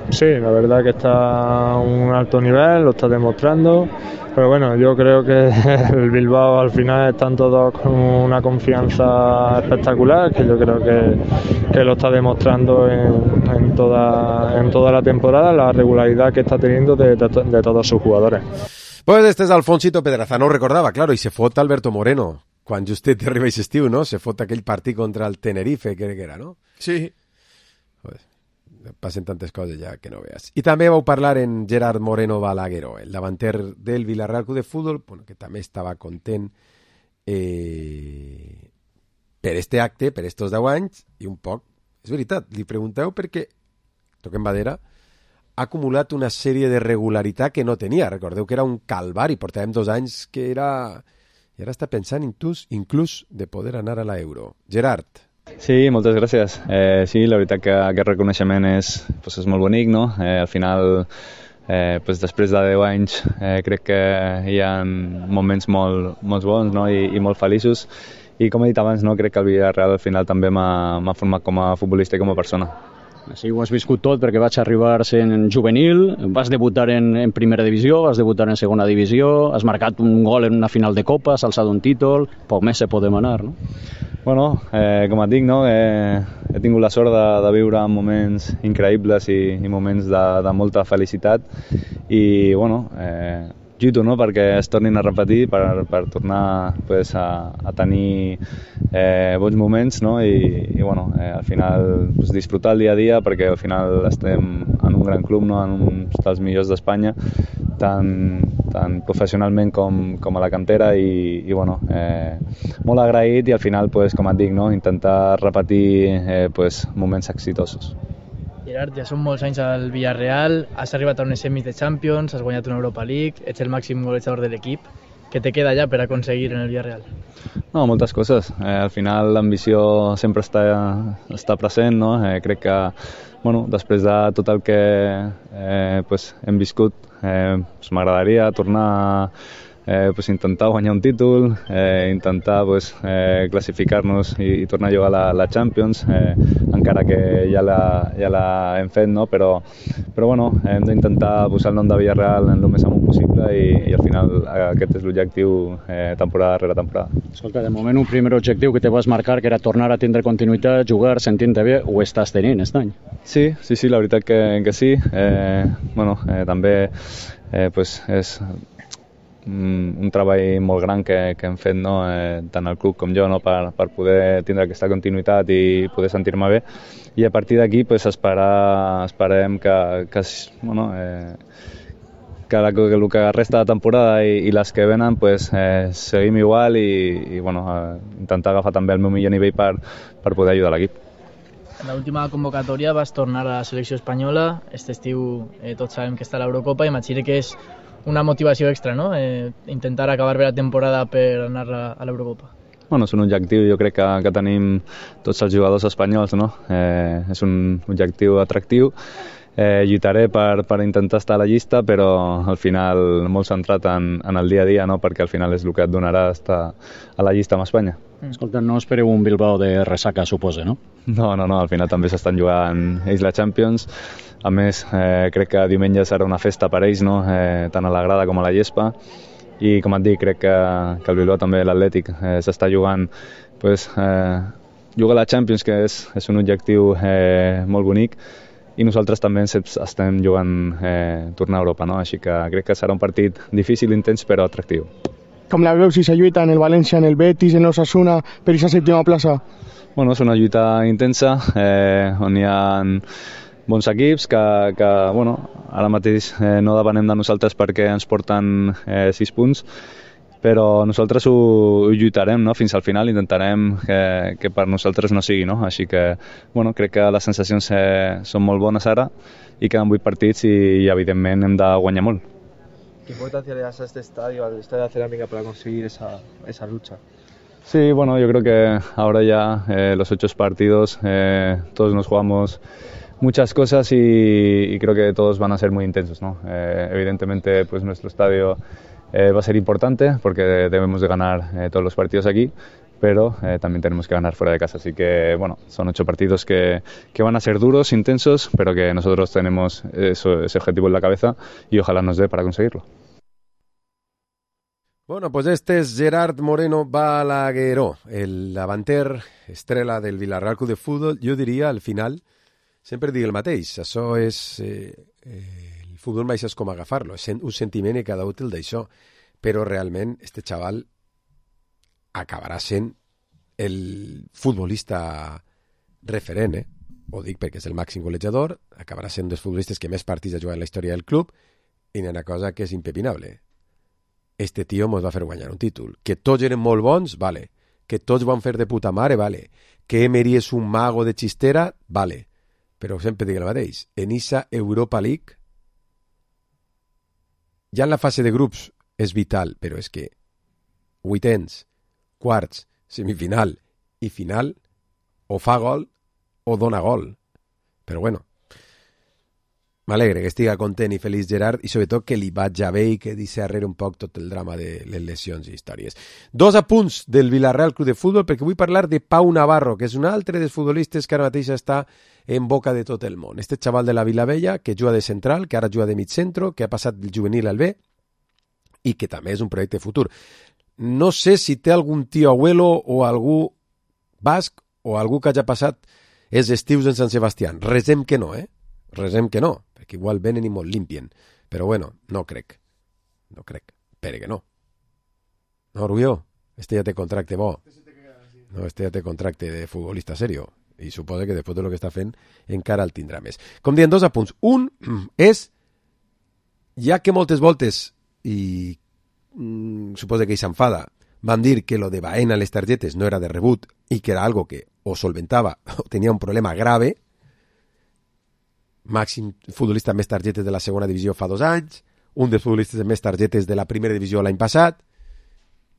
Sí, la verdad que está a un alto nivel, lo está demostrando. Pero bueno, yo creo que el Bilbao al final están todos con una confianza espectacular, que yo creo que lo está demostrando en toda la temporada, la regularidad que está teniendo de todos sus jugadores. Pues este és Alfonsito Pedraza, no ho recordava, claro, i se fot Alberto Moreno, quan justet arriba aquest estiu, no? Se fot aquell partit contra el Tenerife, crec que era, no? Sí. Joder, passen tantes coses ja que no veas. I també vau parlar en Gerard Moreno Balagueró, el davanter del Villarreal Club de Futbol, bueno, que també estava content per este acte, per estos 10 anys, i un poc, és veritat, li pregunteu perquè, toquem madera, ha acumulat una sèrie de regularitat que no tenia. Recordeu que era un calvari, portàvem 2 anys que era... I ara està pensant inclús de poder anar a l'Euro. Gerard. Sí, moltes gràcies. Sí, la veritat que aquest reconeixement és molt bonic, no? Al final, després de 10 anys, crec que hi ha moments molt bons, no? I molt feliços. I com he dit abans, no? Crec que el Villarreal al final també m'ha format com a futbolista i com a persona. Sí, ho has viscut tot, perquè vaig arribar sent juvenil, vas debutar en primera divisió, vas debutar en segona divisió, has marcat un gol en una final de Copa, has alçat un títol, poc més se pot demanar, no? Bueno, com et dic, no? He tingut la sort de viure moments increïbles i moments de molta felicitat, i bueno, lluito, no?, perquè es tornin a repetir, per tornar a tenir bons moments, no? I bueno, al final disfrutar el dia a dia, perquè al final estem en un gran club, no?, en un dels millors d'Espanya, tant professionalment com a la cantera, i bueno, molt agraït, i al final, com et dic, no?, intentar repetir moments exitosos. Gerard, ja són molts anys al Villarreal, has arribat a unes semis de Champions, has guanyat una Europa League, ets el màxim golejador de l'equip. Què te queda ja per aconseguir en el Villarreal? No, moltes coses. Al final l'ambició sempre està present, no? Crec que després de tot el que hem viscut, m'agradaria tornar a intentar guanyar un títol, intentar classificar-nos i tornar a jugar a la Champions, encara que ja la hem fet, no? Però hem d'intentar posar el nom de Villarreal en el més amunt possible i al final aquest és l'objectiu temporada rere temporada. Escolta, de moment un primer objectiu que te vas marcar, que era tornar a tindre continuïtat, jugar, sentint-te bé, ho estàs tenint aquest any? Sí, la veritat que sí. També és un treball molt gran que hem fet, no? Tant el club com jo, no? per poder tindre aquesta continuïtat i poder sentir-me bé, i a partir d'aquí esperem que el que resta de temporada i les que venen seguim igual i intentar agafar també el meu millor nivell per poder ajudar l'equip. En l'última convocatòria vas tornar a la selecció espanyola, aquest estiu tots sabem que està a l'Eurocopa, i imagino que és una motivació extra, no? Intentar acabar bé la temporada per anar a l'Eurocopa. És un objectiu, jo crec que tenim tots els jugadors espanyols, no? És un objectiu atractiu. Lluitaré per intentar estar a la llista, però al final molt centrat en el dia a dia, no? Perquè al final és el que et donarà estar a la llista amb Espanya. Escolta, no espereu un Bilbao de ressaca, suposa, no? No, al final també s'estan jugant ells la Champions. A més, crec que diumenge serà una festa per ells, no? Tant a la grada com a la gespa. I com et dic, crec que el Bilbao també, l'Atlètic, s'està jugant jugar a la Champions, que és un objectiu molt bonic, i nosaltres també estem jugant tornar a Europa, no? Així que crec que serà un partit difícil, intens, però atractiu. Com la veus si se lluita en el València, en el Betis, en l'Osasuna, per aquesta sèptima plaça? És una lluita intensa, on hi ha bons equips que ara mateix no depenem de nosaltres perquè ens porten 6 punts, però nosaltres ho lluitarem, no? Fins al final, intentarem que per nosaltres no sigui, no? Així que crec que les sensacions són molt bones ara i queden 8 partits i evidentment hem de guanyar molt. ¿Qué importancia le das a este estadio, al Estadio de Cerámica, para conseguir esa lucha? Sí, yo creo que ahora ya los 8 partidos todos nos jugamos muchas cosas y creo que todos van a ser muy intensos, ¿no? Evidentemente nuestro estadio va a ser importante porque debemos de ganar todos los partidos aquí, pero también tenemos que ganar fuera de casa, así que son 8 partidos que van a ser duros, intensos, pero que nosotros tenemos ese objetivo en la cabeza y ojalá nos dé para conseguirlo. Pues este es Gerard Moreno Balagueró, el davanter estrella del Villarreal Club de Fútbol. Jo diria, al final, sempre dic el mateix, això és... el futbol mai és com agafar-lo, és un sentiment i cada útil d'això, però realment este xaval acabarà sent el futbolista referent, ho dic perquè és el màxim golejador, acabarà sent un dels futbolistes que més partits ha jugat en la història del club, i n'hi ha una cosa que és impepinable. Este tio mos va fer guanyar un títol. Que tots eren molt bons, vale. Que tots van fer de puta mare, vale. Que Emery és un mago de xistera, vale. Però sempre dic el mateix. En esa Europa League, ja en la fase de grups és vital, però és que vuitens, quarts, semifinal i final, o fa gol o dona gol. Però m'alegre que estiga content i feliç Gerard, i sobretot que li vaig bé i que deixi arrere un poc tot el drama de les lesions i històries. 2 apunts del Villarreal Club de Futbol, perquè vull parlar de Pau Navarro, que és un altre dels futbolistes que ara mateix està en boca de tot el món. Este xaval de la Vilavella, que juga de central, que ara juga de mig centro, que ha passat del juvenil al B, i que també és un projecte futur. No sé si té algun tio abuelo o algú basc o algú que hagi passat els estius en Sant Sebastián. Resem que no, Resem que no, perquè igual venen i molt limpien. Però no crec. No crec. Espere que no. No, Rubió, este ja té contracte bo. No, este ja té contracte de futbolista serio. I suposa que després de lo que està fent encara el tindrà més. Com dient, 2 apunts. Un és, ja que moltes voltes, i suposa que ell s'enfada, van dir que lo de Baena a les targetes no era de rebut i que era algo que o solventava o tenia un problema grave, màxim futbolista amb més targetes de la segona divisió fa 2 anys, un dels futbolistes amb més targetes de la primera divisió l'any passat,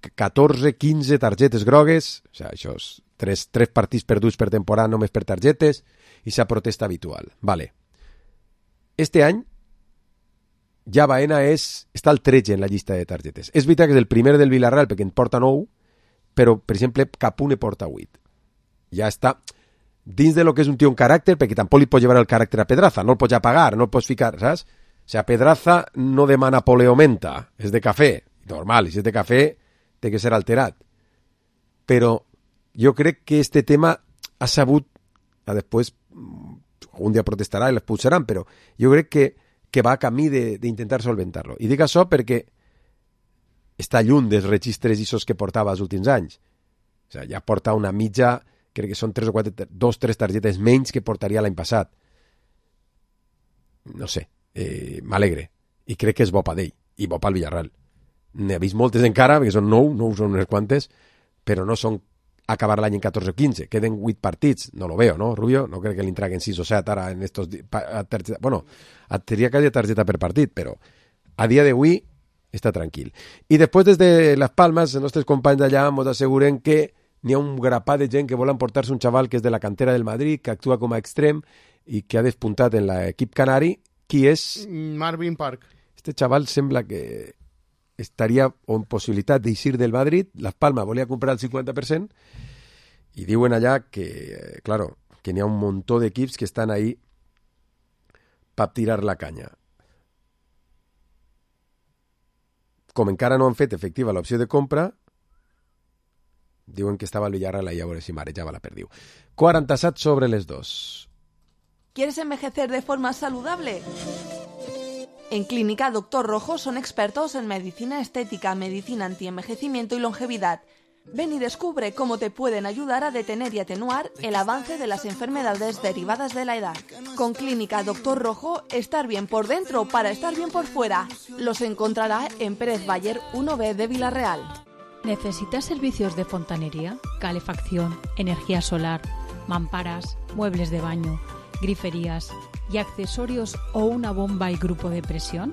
14, 15 targetes grogues, o sigui, això és 3 partits perduts per temporada només per targetes, i s'ha protesta habitual. Vale. Este any, ja Baena està al 13 en la llista de targetes. És veritat que és el primer del Villarreal perquè en porta 9, però, per exemple, cap un ne porta 8. Ja està dins de lo que és un tio en caràcter, perquè tampoc li pot llevar el caràcter a Pedraza, no el pots apagar, no el pots ficar, saps? O sigui, Pedraza no demana poleomenta, és de cafè, normal, i si és de cafè té que ser alterat. Però jo crec que este tema ha sabut, després un dia protestarà i l'expulsaran, però jo crec que va a camí d'intentar solventar-lo. I dic això perquè està lluny dels registres ISOs que portava els últims anys. O sigui, ja porta una mitja, crec que són 3 o 4, 2-3 targetes menys que portaria l'any passat. No sé, m'alegre. I crec que és bo per ell, i bo pel Villarreal. N'he vist moltes encara, perquè són 9 són unes quantes, però no són acabar l'any en 14 o 15. Queden 8 partits. No lo veo, ¿no, Rubio? No crec que li entreguen 6 o 7 ara en estos... Bueno, tenia quasi targeta per partit, però a dia d'avui està tranquil. I després, des de Las Palmas, els nostres companys d'allà ens asseguren que n'hi ha un grapat de gent que volen portar-se un xaval que és de la cantera del Madrid, que actua com a extrem i que ha despuntat en l'equip canari. Qui és? Marvin Park. Este xaval sembla que estaria en possibilitat d'eixir del Madrid. Las Palmas volia comprar el 50% i diuen allà que, claro, que n'hi ha un muntó d'equips que estan ahí per tirar la canya. Com encara no han fet efectiva l'opció de compra, diuen que estava el Villarreal ahí a veure si marejava la perdiu. 47 sobre les 2. ¿Quieres envejecer de forma saludable? En Clínica Doctor Rojo son expertos en medicina estética, medicina antienvejecimiento y longevidad. Ven y descubre cómo te pueden ayudar a detener y atenuar el avance de las enfermedades derivadas de la edad. Con Clínica Doctor Rojo, estar bien por dentro para estar bien por fuera. Los encontrará en Pérez Bayer 1B de Villarreal. ¿Necesitas servicios de fontanería, calefacción, energía solar, mamparas, muebles de baño, griferías y accesorios o una bomba y grupo de presión?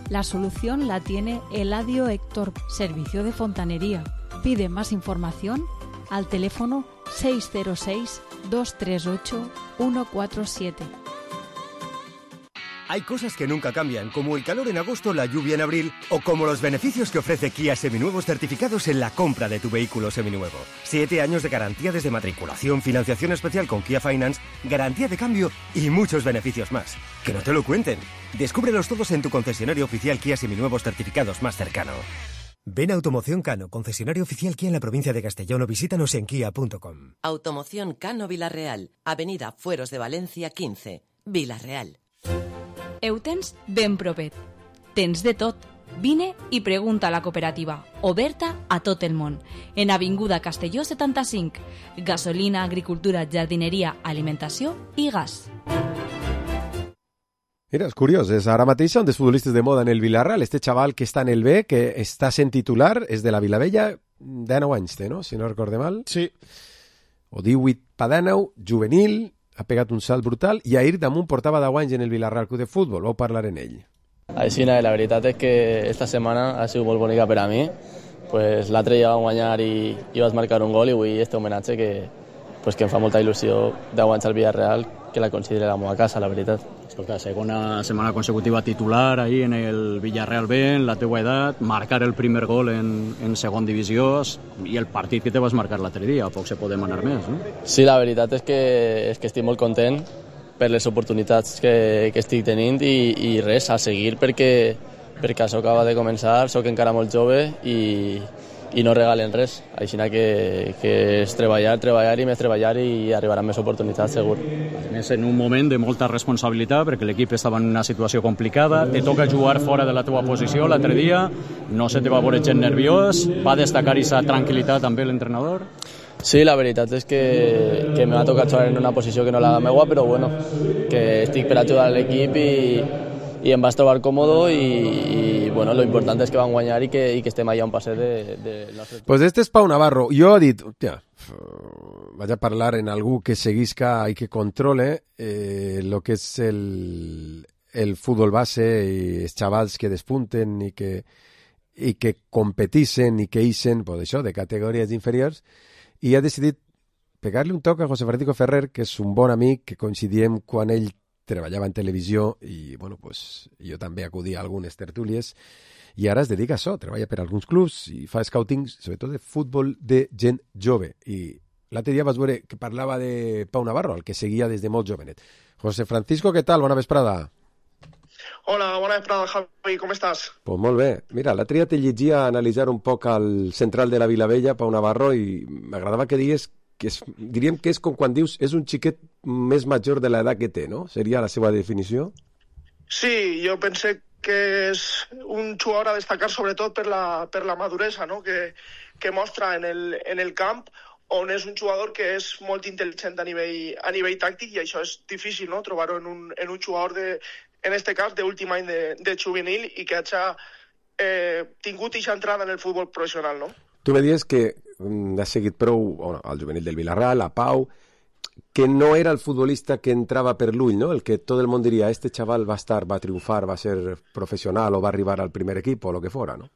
La solución la tiene Eladio Héctor, servicio de fontanería. Pide más información al teléfono 606-238-147. Hay cosas que nunca cambian, como el calor en agosto, la lluvia en abril, o como los beneficios que ofrece Kia Seminuevos certificados en la compra de tu vehículo seminuevo. 7 años de garantía desde matriculación, financiación especial con Kia Finance, garantía de cambio y muchos beneficios más. Que no te lo cuenten. Descúbrelos todos en tu concesionario oficial Kia Seminuevos certificados más cercano. Ven a Automoción Cano, concesionario oficial Kia en la provincia de Castellón, o visítanos en kia.com. Automoción Cano Villarreal, Avenida Fueros de Valencia 15, Villarreal. Ho tens ben propet. Tens de tot. Vine i pregunta a la cooperativa, oberta a tot el món. En Avinguda Castelló 75. Gasolina, agricultura, jardineria, alimentació i gas. Mira, és curiós, ara mateix són dels futbolistes de moda en el Villarreal. Este xaval que està en el B, que està sent titular, és de la Vilavella, 19 anys té, no? Si no recorde mal. Sí. O 18 pa 19, juvenil, ha pegat un salt brutal, i ahir damunt portava 10 anys en el Villarreal Club de Futbol. Vau parlar en ell. Així, la veritat és que esta setmana ha sigut molt bonica per a mi. Pues, l'altre ja vam guanyar i vaig marcar un gol, i avui este homenatge que em fa molta il·lusió 10 anys al Villarreal, que la consideri la meva casa, la veritat. Escolta, segona setmana consecutiva titular ahir en el Villarreal B, en la teua edat, marcar el primer gol en segon divisió i el partit que te vas marcar l'altre dia, poc se pot demanar més, no? Sí, la veritat és que estic molt content per les oportunitats que estic tenint i res, a seguir perquè això acaba de començar, sóc encara molt jove i no regalen res, així que és treballar i més treballar i arribaran més oportunitats, segur. A més, en un moment de molta responsabilitat, perquè l'equip estava en una situació complicada, te toca jugar fora de la teva posició l'altre dia, no se te va veure gent nerviós, va destacar aquesta tranquil·litat també l'entrenador? Sí, la veritat és que me va tocar jugar en una posició que no la meva, però bueno, que estic per ajudar l'equip i em vaig trobar còmodo i bueno, lo important és que van guanyar i que estem allà un passet de nostre... Pues este és Pau Navarro. Jo he dit, hòstia, vaig a parlar en algú que seguisca i que controle lo que és el futbol base i els xavals que despunten i que competixen i que ixen, pues això, de categories inferiors, i ha decidit pegar-li un toc a José Francisco Ferrer, que és un bon amic, que coincidíem quan ell treballava en televisió i, bueno, pues, jo també acudia a algunes tertúlies i ara es dedica a això, treballa per alguns clubs i fa scouting, sobretot de futbol de gent jove. I l'altre dia vas veure que parlava de Pau Navarro, el que seguia des de molt jovenet. José Francisco, què tal? Bona vesprada. Hola, bona vesprada, Javi, com estàs? Pues molt bé. Mira, l'altre dia te llegia analitzar un poc al central de la Vilavella, Pau Navarro, i m'agradava que digués que diríem que és com quan dius és un xiquet més major de l'edat que té, no? Seria la seva definició? Sí, jo pense que és un jugador a destacar sobretot per la maduresa, no? que mostra en el camp, on és un jugador que és molt intel·ligent a nivell tàctic, i això és difícil, no? Trobar-ho en un jugador, en este cas, d'últim any de juvenil i que hagi tingut aquesta entrada en el futbol professional, no? Tu me dius que has seguit prou al juvenil del Villarreal, a Pau, que no era el futbolista que entrava per l'ull, no? El que tot el món diria, este xaval va triomfar, va ser professional o va arribar al primer equip o el que fora, no?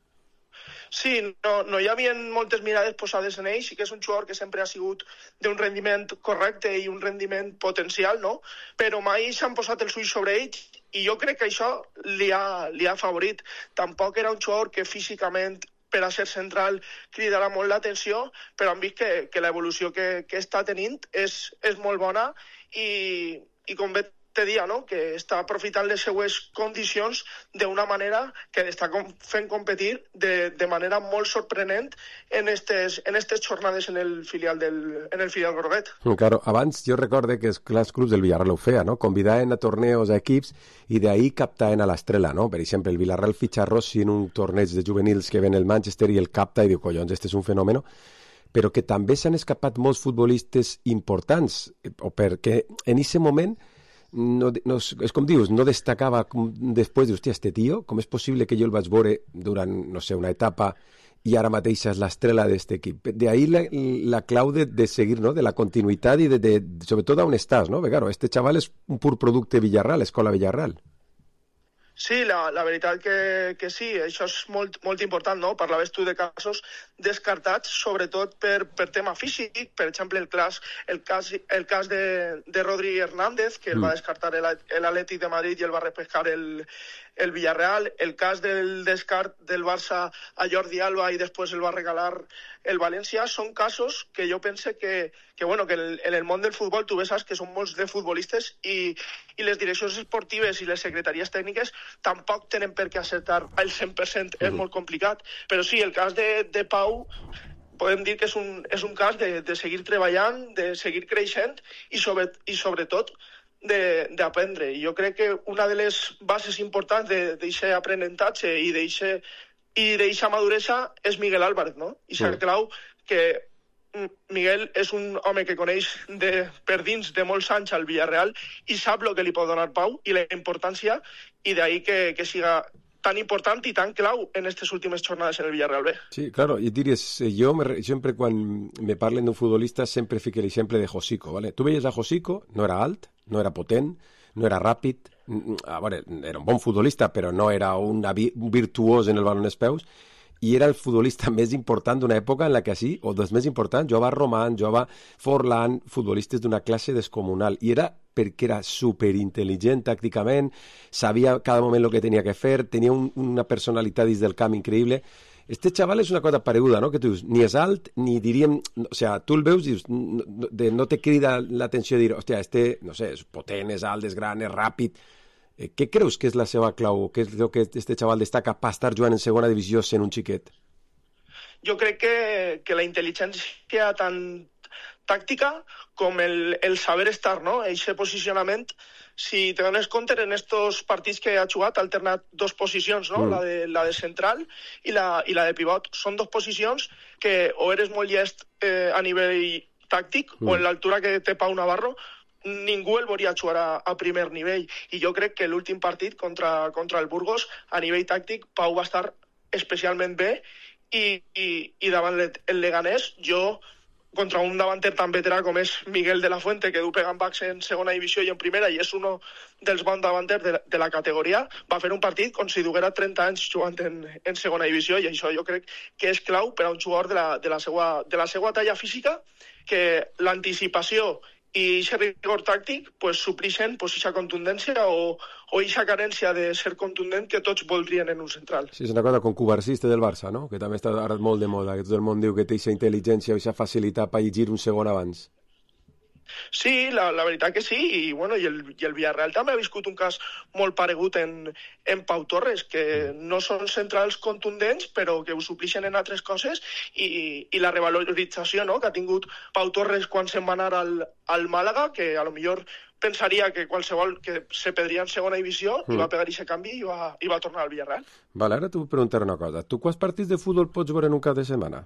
Sí, no hi havia moltes mirades posades en ell, sí que és un jugador que sempre ha sigut d'un rendiment correcte i un rendiment potencial, no? Però mai s'han posat els ulls sobre ell i jo crec que això li ha afavorit. Tampoc era un jugador que físicament per a ser central cridarà molt l'atenció, però hem vist que l'evolució que està tenint és molt bona i com bé te dia, no? Que està aprofitant les seues condicions d'una manera que està fent competir de manera molt sorprenent en estes jornades en el filial groguet. Claro, abans jo recorde que els clubs del Villarreal ho feia, no? Convidaven a torneos a equips i d'ahí captaven a l'estrela, no? Per exemple, el Villarreal fitxa Rossi en un torneig de juvenils que ven el Manchester i el capta i diu, collons, este és un fenomen, però que també s'han escapat molts futbolistes importants, o perquè en aquest moment no, és com dius, no destacava després, dius, hòstia, este tio, com és possible que jo el vaig veure durant, no sé, una etapa i ara mateix és l'estrela d'aquest equip. D'ahí la clau de seguir, no? De la continuïtat i sobretot on estàs, no? Perquè, claro, este xaval és un pur producte Villarreal, escola Villarreal. Sí, la veritat que sí, això és molt important, no? Parlaves tu de casos descartats, sobretot per tema físic, per exemple, el cas de Rodri Hernández, que el va descartar l'Atlètic de Madrid i el va repescar el Villarreal, el cas del descart del Barça a Jordi Alba i després el va regalar el València, són casos que jo pense que en el món del futbol tu saps que són molts de futbolistes i les direccions esportives i les secretaries tècniques tampoc tenen per què acertar al 100%, és molt complicat, però sí, el cas de Pau podem dir que és un cas de seguir treballant, de seguir creixent i sobretot d'aprendre. I jo crec que una de les bases importants d'aquest aprenentatge i d'aquesta maduresa és Miguel Álvarez, no? I s'ha clau que Miguel és un home que coneix per dins de molts anys al Villarreal i sap el que li pot donar Pau i la importància, i d'ahí que siga tan important i tan clau en aquestes últimes jornades en el Villarreal B. Sí, claro, i diries, jo sempre quan me parlen d'un futbolista sempre fico l'exemple de Josico, ¿vale? Tu veies a Josico, no era alt, no era potent, no era ràpid, a veure, era un bon futbolista, però no era un virtuós en el baló en els peus, i era el futbolista més important d'una època en la que sí, o dels més importants, jugava Román, jugava Forlán, futbolistes d'una classe descomunal, i era perquè era superintel·ligent tàcticament, sabia cada moment el que tenia que fer, tenia una personalitat dins del camp increïble. Este xaval és una cosa pareguda, no? Que tu dius, ni és alt, ni diríem... O sea, tu el veus i dius, no te crida l'atenció de dir, hòstia, este, no sé, és potent, és alt, és gran, és ràpid... Què creus que és la seva clau? Què és el que este xaval destaca per estar jugant en segona divisió sent un xiquet? Jo crec que la intel·ligència tant tàctica com el saber estar, no? Eixe posicionament, si te dones compte, en estos partits que ha jugat ha alternat dos posicions, no? La de central i la de pivot. Són dos posicions que o eres molt llest a nivell tàctic o en l'altura que té Pau Navarro ningú el volia jugar a primer nivell, i jo crec que l'últim partit contra el Burgos, a nivell tàctic, Pau va estar especialment bé, i davant el Leganés, jo, contra un davanter tan veterà com és Miguel de la Fuente, que du pegant backs en segona divisió i en primera, i és un dels bons davanters de la categoria, va fer un partit com si duguera 30 anys jugant en segona divisió, i això jo crec que és clau per a un jugador de la seva talla física, que l'anticipació i aquest rigor tàctic suplixen aquesta contundència o aquesta carència de ser contundent que tots voldrien en un central. Sí, és una cosa com Cubarsiste del Barça, no? Que també està ara molt de moda, que tot el món diu que té aquesta intel·ligència o aquesta facilitat per llegir un segon abans. Sí, la veritat que sí, i el Villarreal també ha viscut un cas molt paregut en Pau Torres, que no són centrals contundents, però que ho suplixen en altres coses, i la revalorització, no?, que ha tingut Pau Torres quan se'n va anar al Màlaga, que a lo millor pensaria que qualsevol que se perdria en segona divisió, i va pegar aquest canvi i va tornar al Villarreal. Vale, ara t'ho preguntaré una cosa. Tu quants partits de futbol pots veure en un cap de setmana?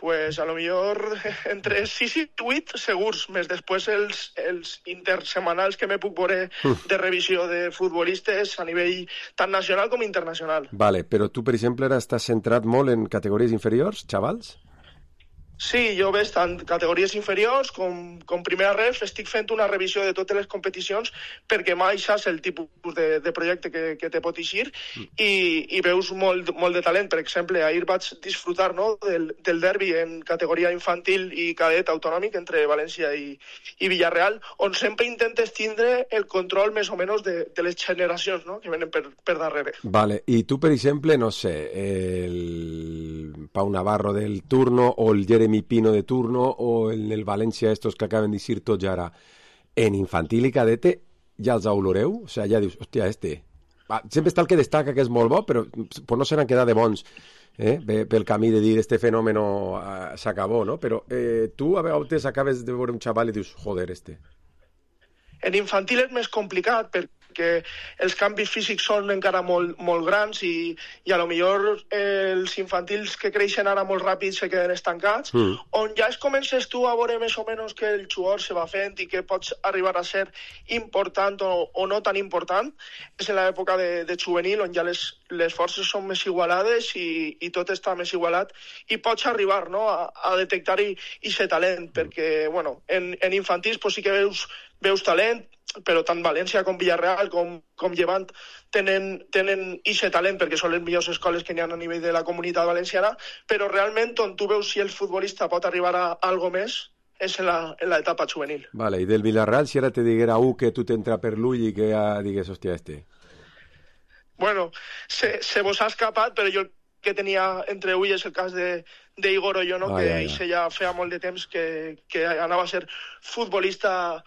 Pues a lo millor entre 6 i 8 segurs, més després els intersemanals que me puc veure de revisió de futbolistes a nivell tant nacional com internacional. Vale, però tu, per exemple, ara estàs centrat molt en categories inferiors, xavals? Sí, jo veig tant categories inferiors com primera ref, estic fent una revisió de totes les competicions perquè mai saps el tipus de projecte que te pot eixir i veus molt de talent. Per exemple, ahir vaig disfrutar, no, del derbi en categoria infantil i cadet autonòmic entre València i Villarreal, on sempre intentes tindre el control més o menys de les generacions, no?, que venen per darrere. Vale, i tu, per exemple, no sé, el Pau Navarro del turno o el Jeremy Pino de turno o en el València estos que acaben d'eixir tots ara en infantil i cadete ja els oloreu? O sigui, ja dius, hòstia, sempre està el que destaca que és molt bo, però no se n'han quedat de bons pel camí de dir este fenòmeno s'acabó, no? Però tu a vegades acabes de veure un xaval i dius, joder, En infantil és més complicat perquè els canvis físics són encara molt grans i a lo millor els infantils que creixen ara molt ràpid se queden estancats, on ja es comences tu a veure més o menys que el jugador se va fent i que pots arribar a ser important o no tan important, és en l'època de juvenil, on ja les forces són més igualades i tot està més igualat i pots arribar, no, a detectar-hi aquest talent, perquè bueno, en infantils sí que veus talent, però tant València com Villarreal com Llevant tenen aquest talent perquè són les millors escoles que n'hi ha a nivell de la comunitat valenciana, però realment on tu veus si el futbolista pot arribar a algo més és en l'etapa juvenil. Vale, i del Villarreal, si ara te diguera que tu t'entra per l'ull i que ja digues, hòstia, Bueno, se vos ha escapat, però jo el que tenia entre ulls és el cas d'Igor Oyono, que ja feia molt de temps que anava a ser futbolista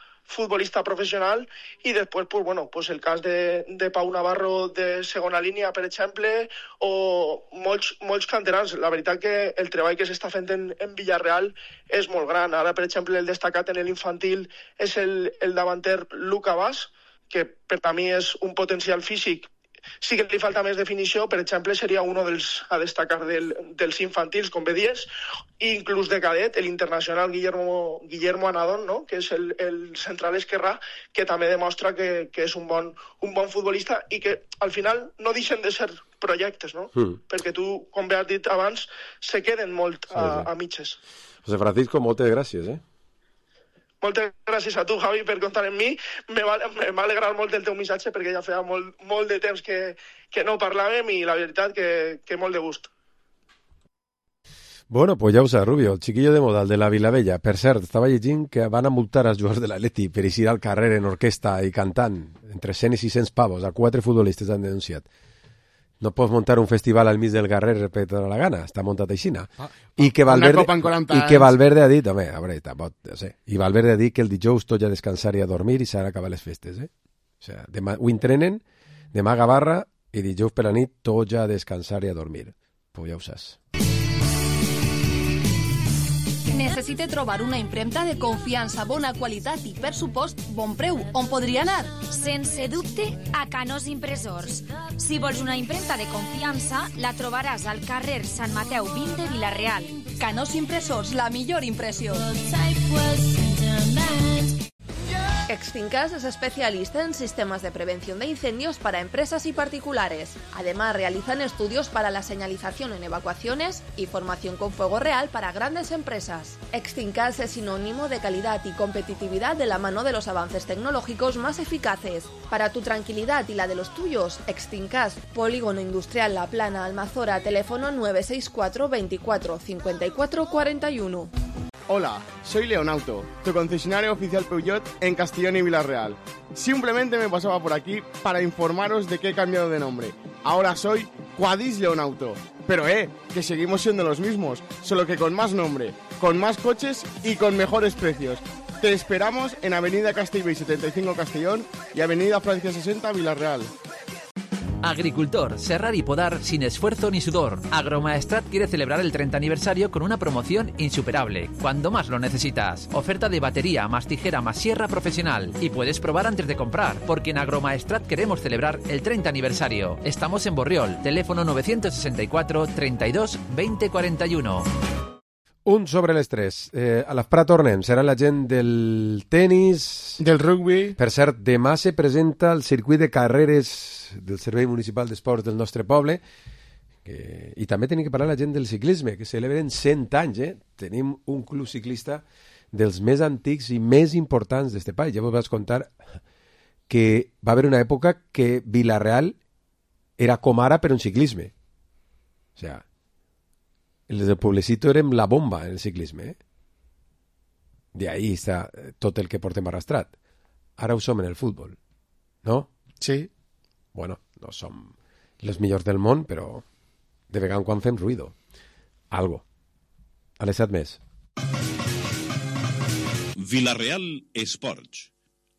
professional, i després pues el cas de Pau Navarro de segona línia, per exemple, o molts canterans. La veritat que el treball que s'està fent en Villarreal és molt gran. Ara, per exemple, el destacat en l'infantil és el davanter Luca Bas, que per a mi és un potencial físic. Sí que li falta més definició, per exemple, seria un dels a destacar dels infantils, com bé dies, i inclús de cadet, l'internacional Guillermo Anadón, no?, que és el central esquerrà, que també demostra que és un bon futbolista i que al final no deixen de ser projectes, no? Perquè tu, com bé has dit abans, se queden molt a mitges. José Francisco, moltes gràcies, Moltes gràcies a tu, Javi, per comptar amb mi. M'ha alegrat molt el teu missatge perquè ja feia molt de temps que no parlàvem i la veritat que molt de gust. Bueno, pues ja ho saps, Rubio, el chiquillo de Modal de la Vilavella. Per cert, estava llegint que van a multar els jugadors de l'Atleti per eixir al carrer en orquestra i cantant. Entre 100 i 600 pavos. A 4 futbolistes han denunciat. No pots montar un festival al mig del carrer per tota la gana, està muntat aixina. I que Valverde ha dit, home, a veure, no sé, i Valverde ha dit que el dijous tot ja descansar i a dormir i s'ha d'acabar les festes, O sigui, demà ho entrenen, demà a Gavarra i dijous per la nit tot ja a descansar i a dormir. Pues ja ho saps. Necessite trobar una impremta de confiança, bona qualitat i, per supost, bon preu. On podria anar? Sense dubte, a Canós Impressors. Si vols una impremta de confiança, la trobaràs al carrer Sant Mateu 20 de Vila-real. Canós Impressors, la millor impressió. Extincas es especialista en sistemas de prevención de incendios para empresas y particulares. Además, realizan estudios para la señalización en evacuaciones y formación con fuego real para grandes empresas. Extincas es sinónimo de calidad y competitividad de la mano de los avances tecnológicos más eficaces. Para tu tranquilidad y la de los tuyos, Extincas, Polígono Industrial La Plana, Almazora, teléfono 964 24 54 41. Hola, soy Leonauto, tu concesionario oficial Peugeot en Castellón y Vila-real. Simplemente me pasaba por aquí para informaros de que he cambiado de nombre. Ahora soy Quadis Leonauto. Pero que seguimos siendo los mismos, solo que con más nombre, con más coches y con mejores precios. Te esperamos en Avenida Castellbell 75 Castellón y Avenida Francia 60 Vila-real. Agricultor, serrar y podar sin esfuerzo ni sudor. Agromaestrat quiere celebrar el 30 aniversario con una promoción insuperable, cuando más lo necesitas. Oferta de batería más tijera más sierra profesional. Y puedes probar antes de comprar, porque en Agromaestrat queremos celebrar el 30 aniversario. Estamos en Borriol, teléfono 964 32 20 41. Un sobre les tres. A l'Afprat tornem. Serà la gent del tenis... Del rugby. Per cert, demà se presenta el circuit de carreres del Servei Municipal d'Esports del nostre poble. I també tenim que parlar la gent del ciclisme, que celebren 100 anys. Tenim un club ciclista dels més antics i més importants d'este país. Ja vos vaig contar que va haver una època que Vila-real era com ara per un ciclisme. O sigui, els del Pueblecito érem la bomba en el ciclisme. De ahí està tot el que portem arrastrat. Ara ho som en el futbol, no? Sí. Bueno, no som els millors del món, però de vegada en quan fem ruïdo. Algo. A les 7 més. Vila-real Esports.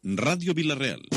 Ràdio Vila-real.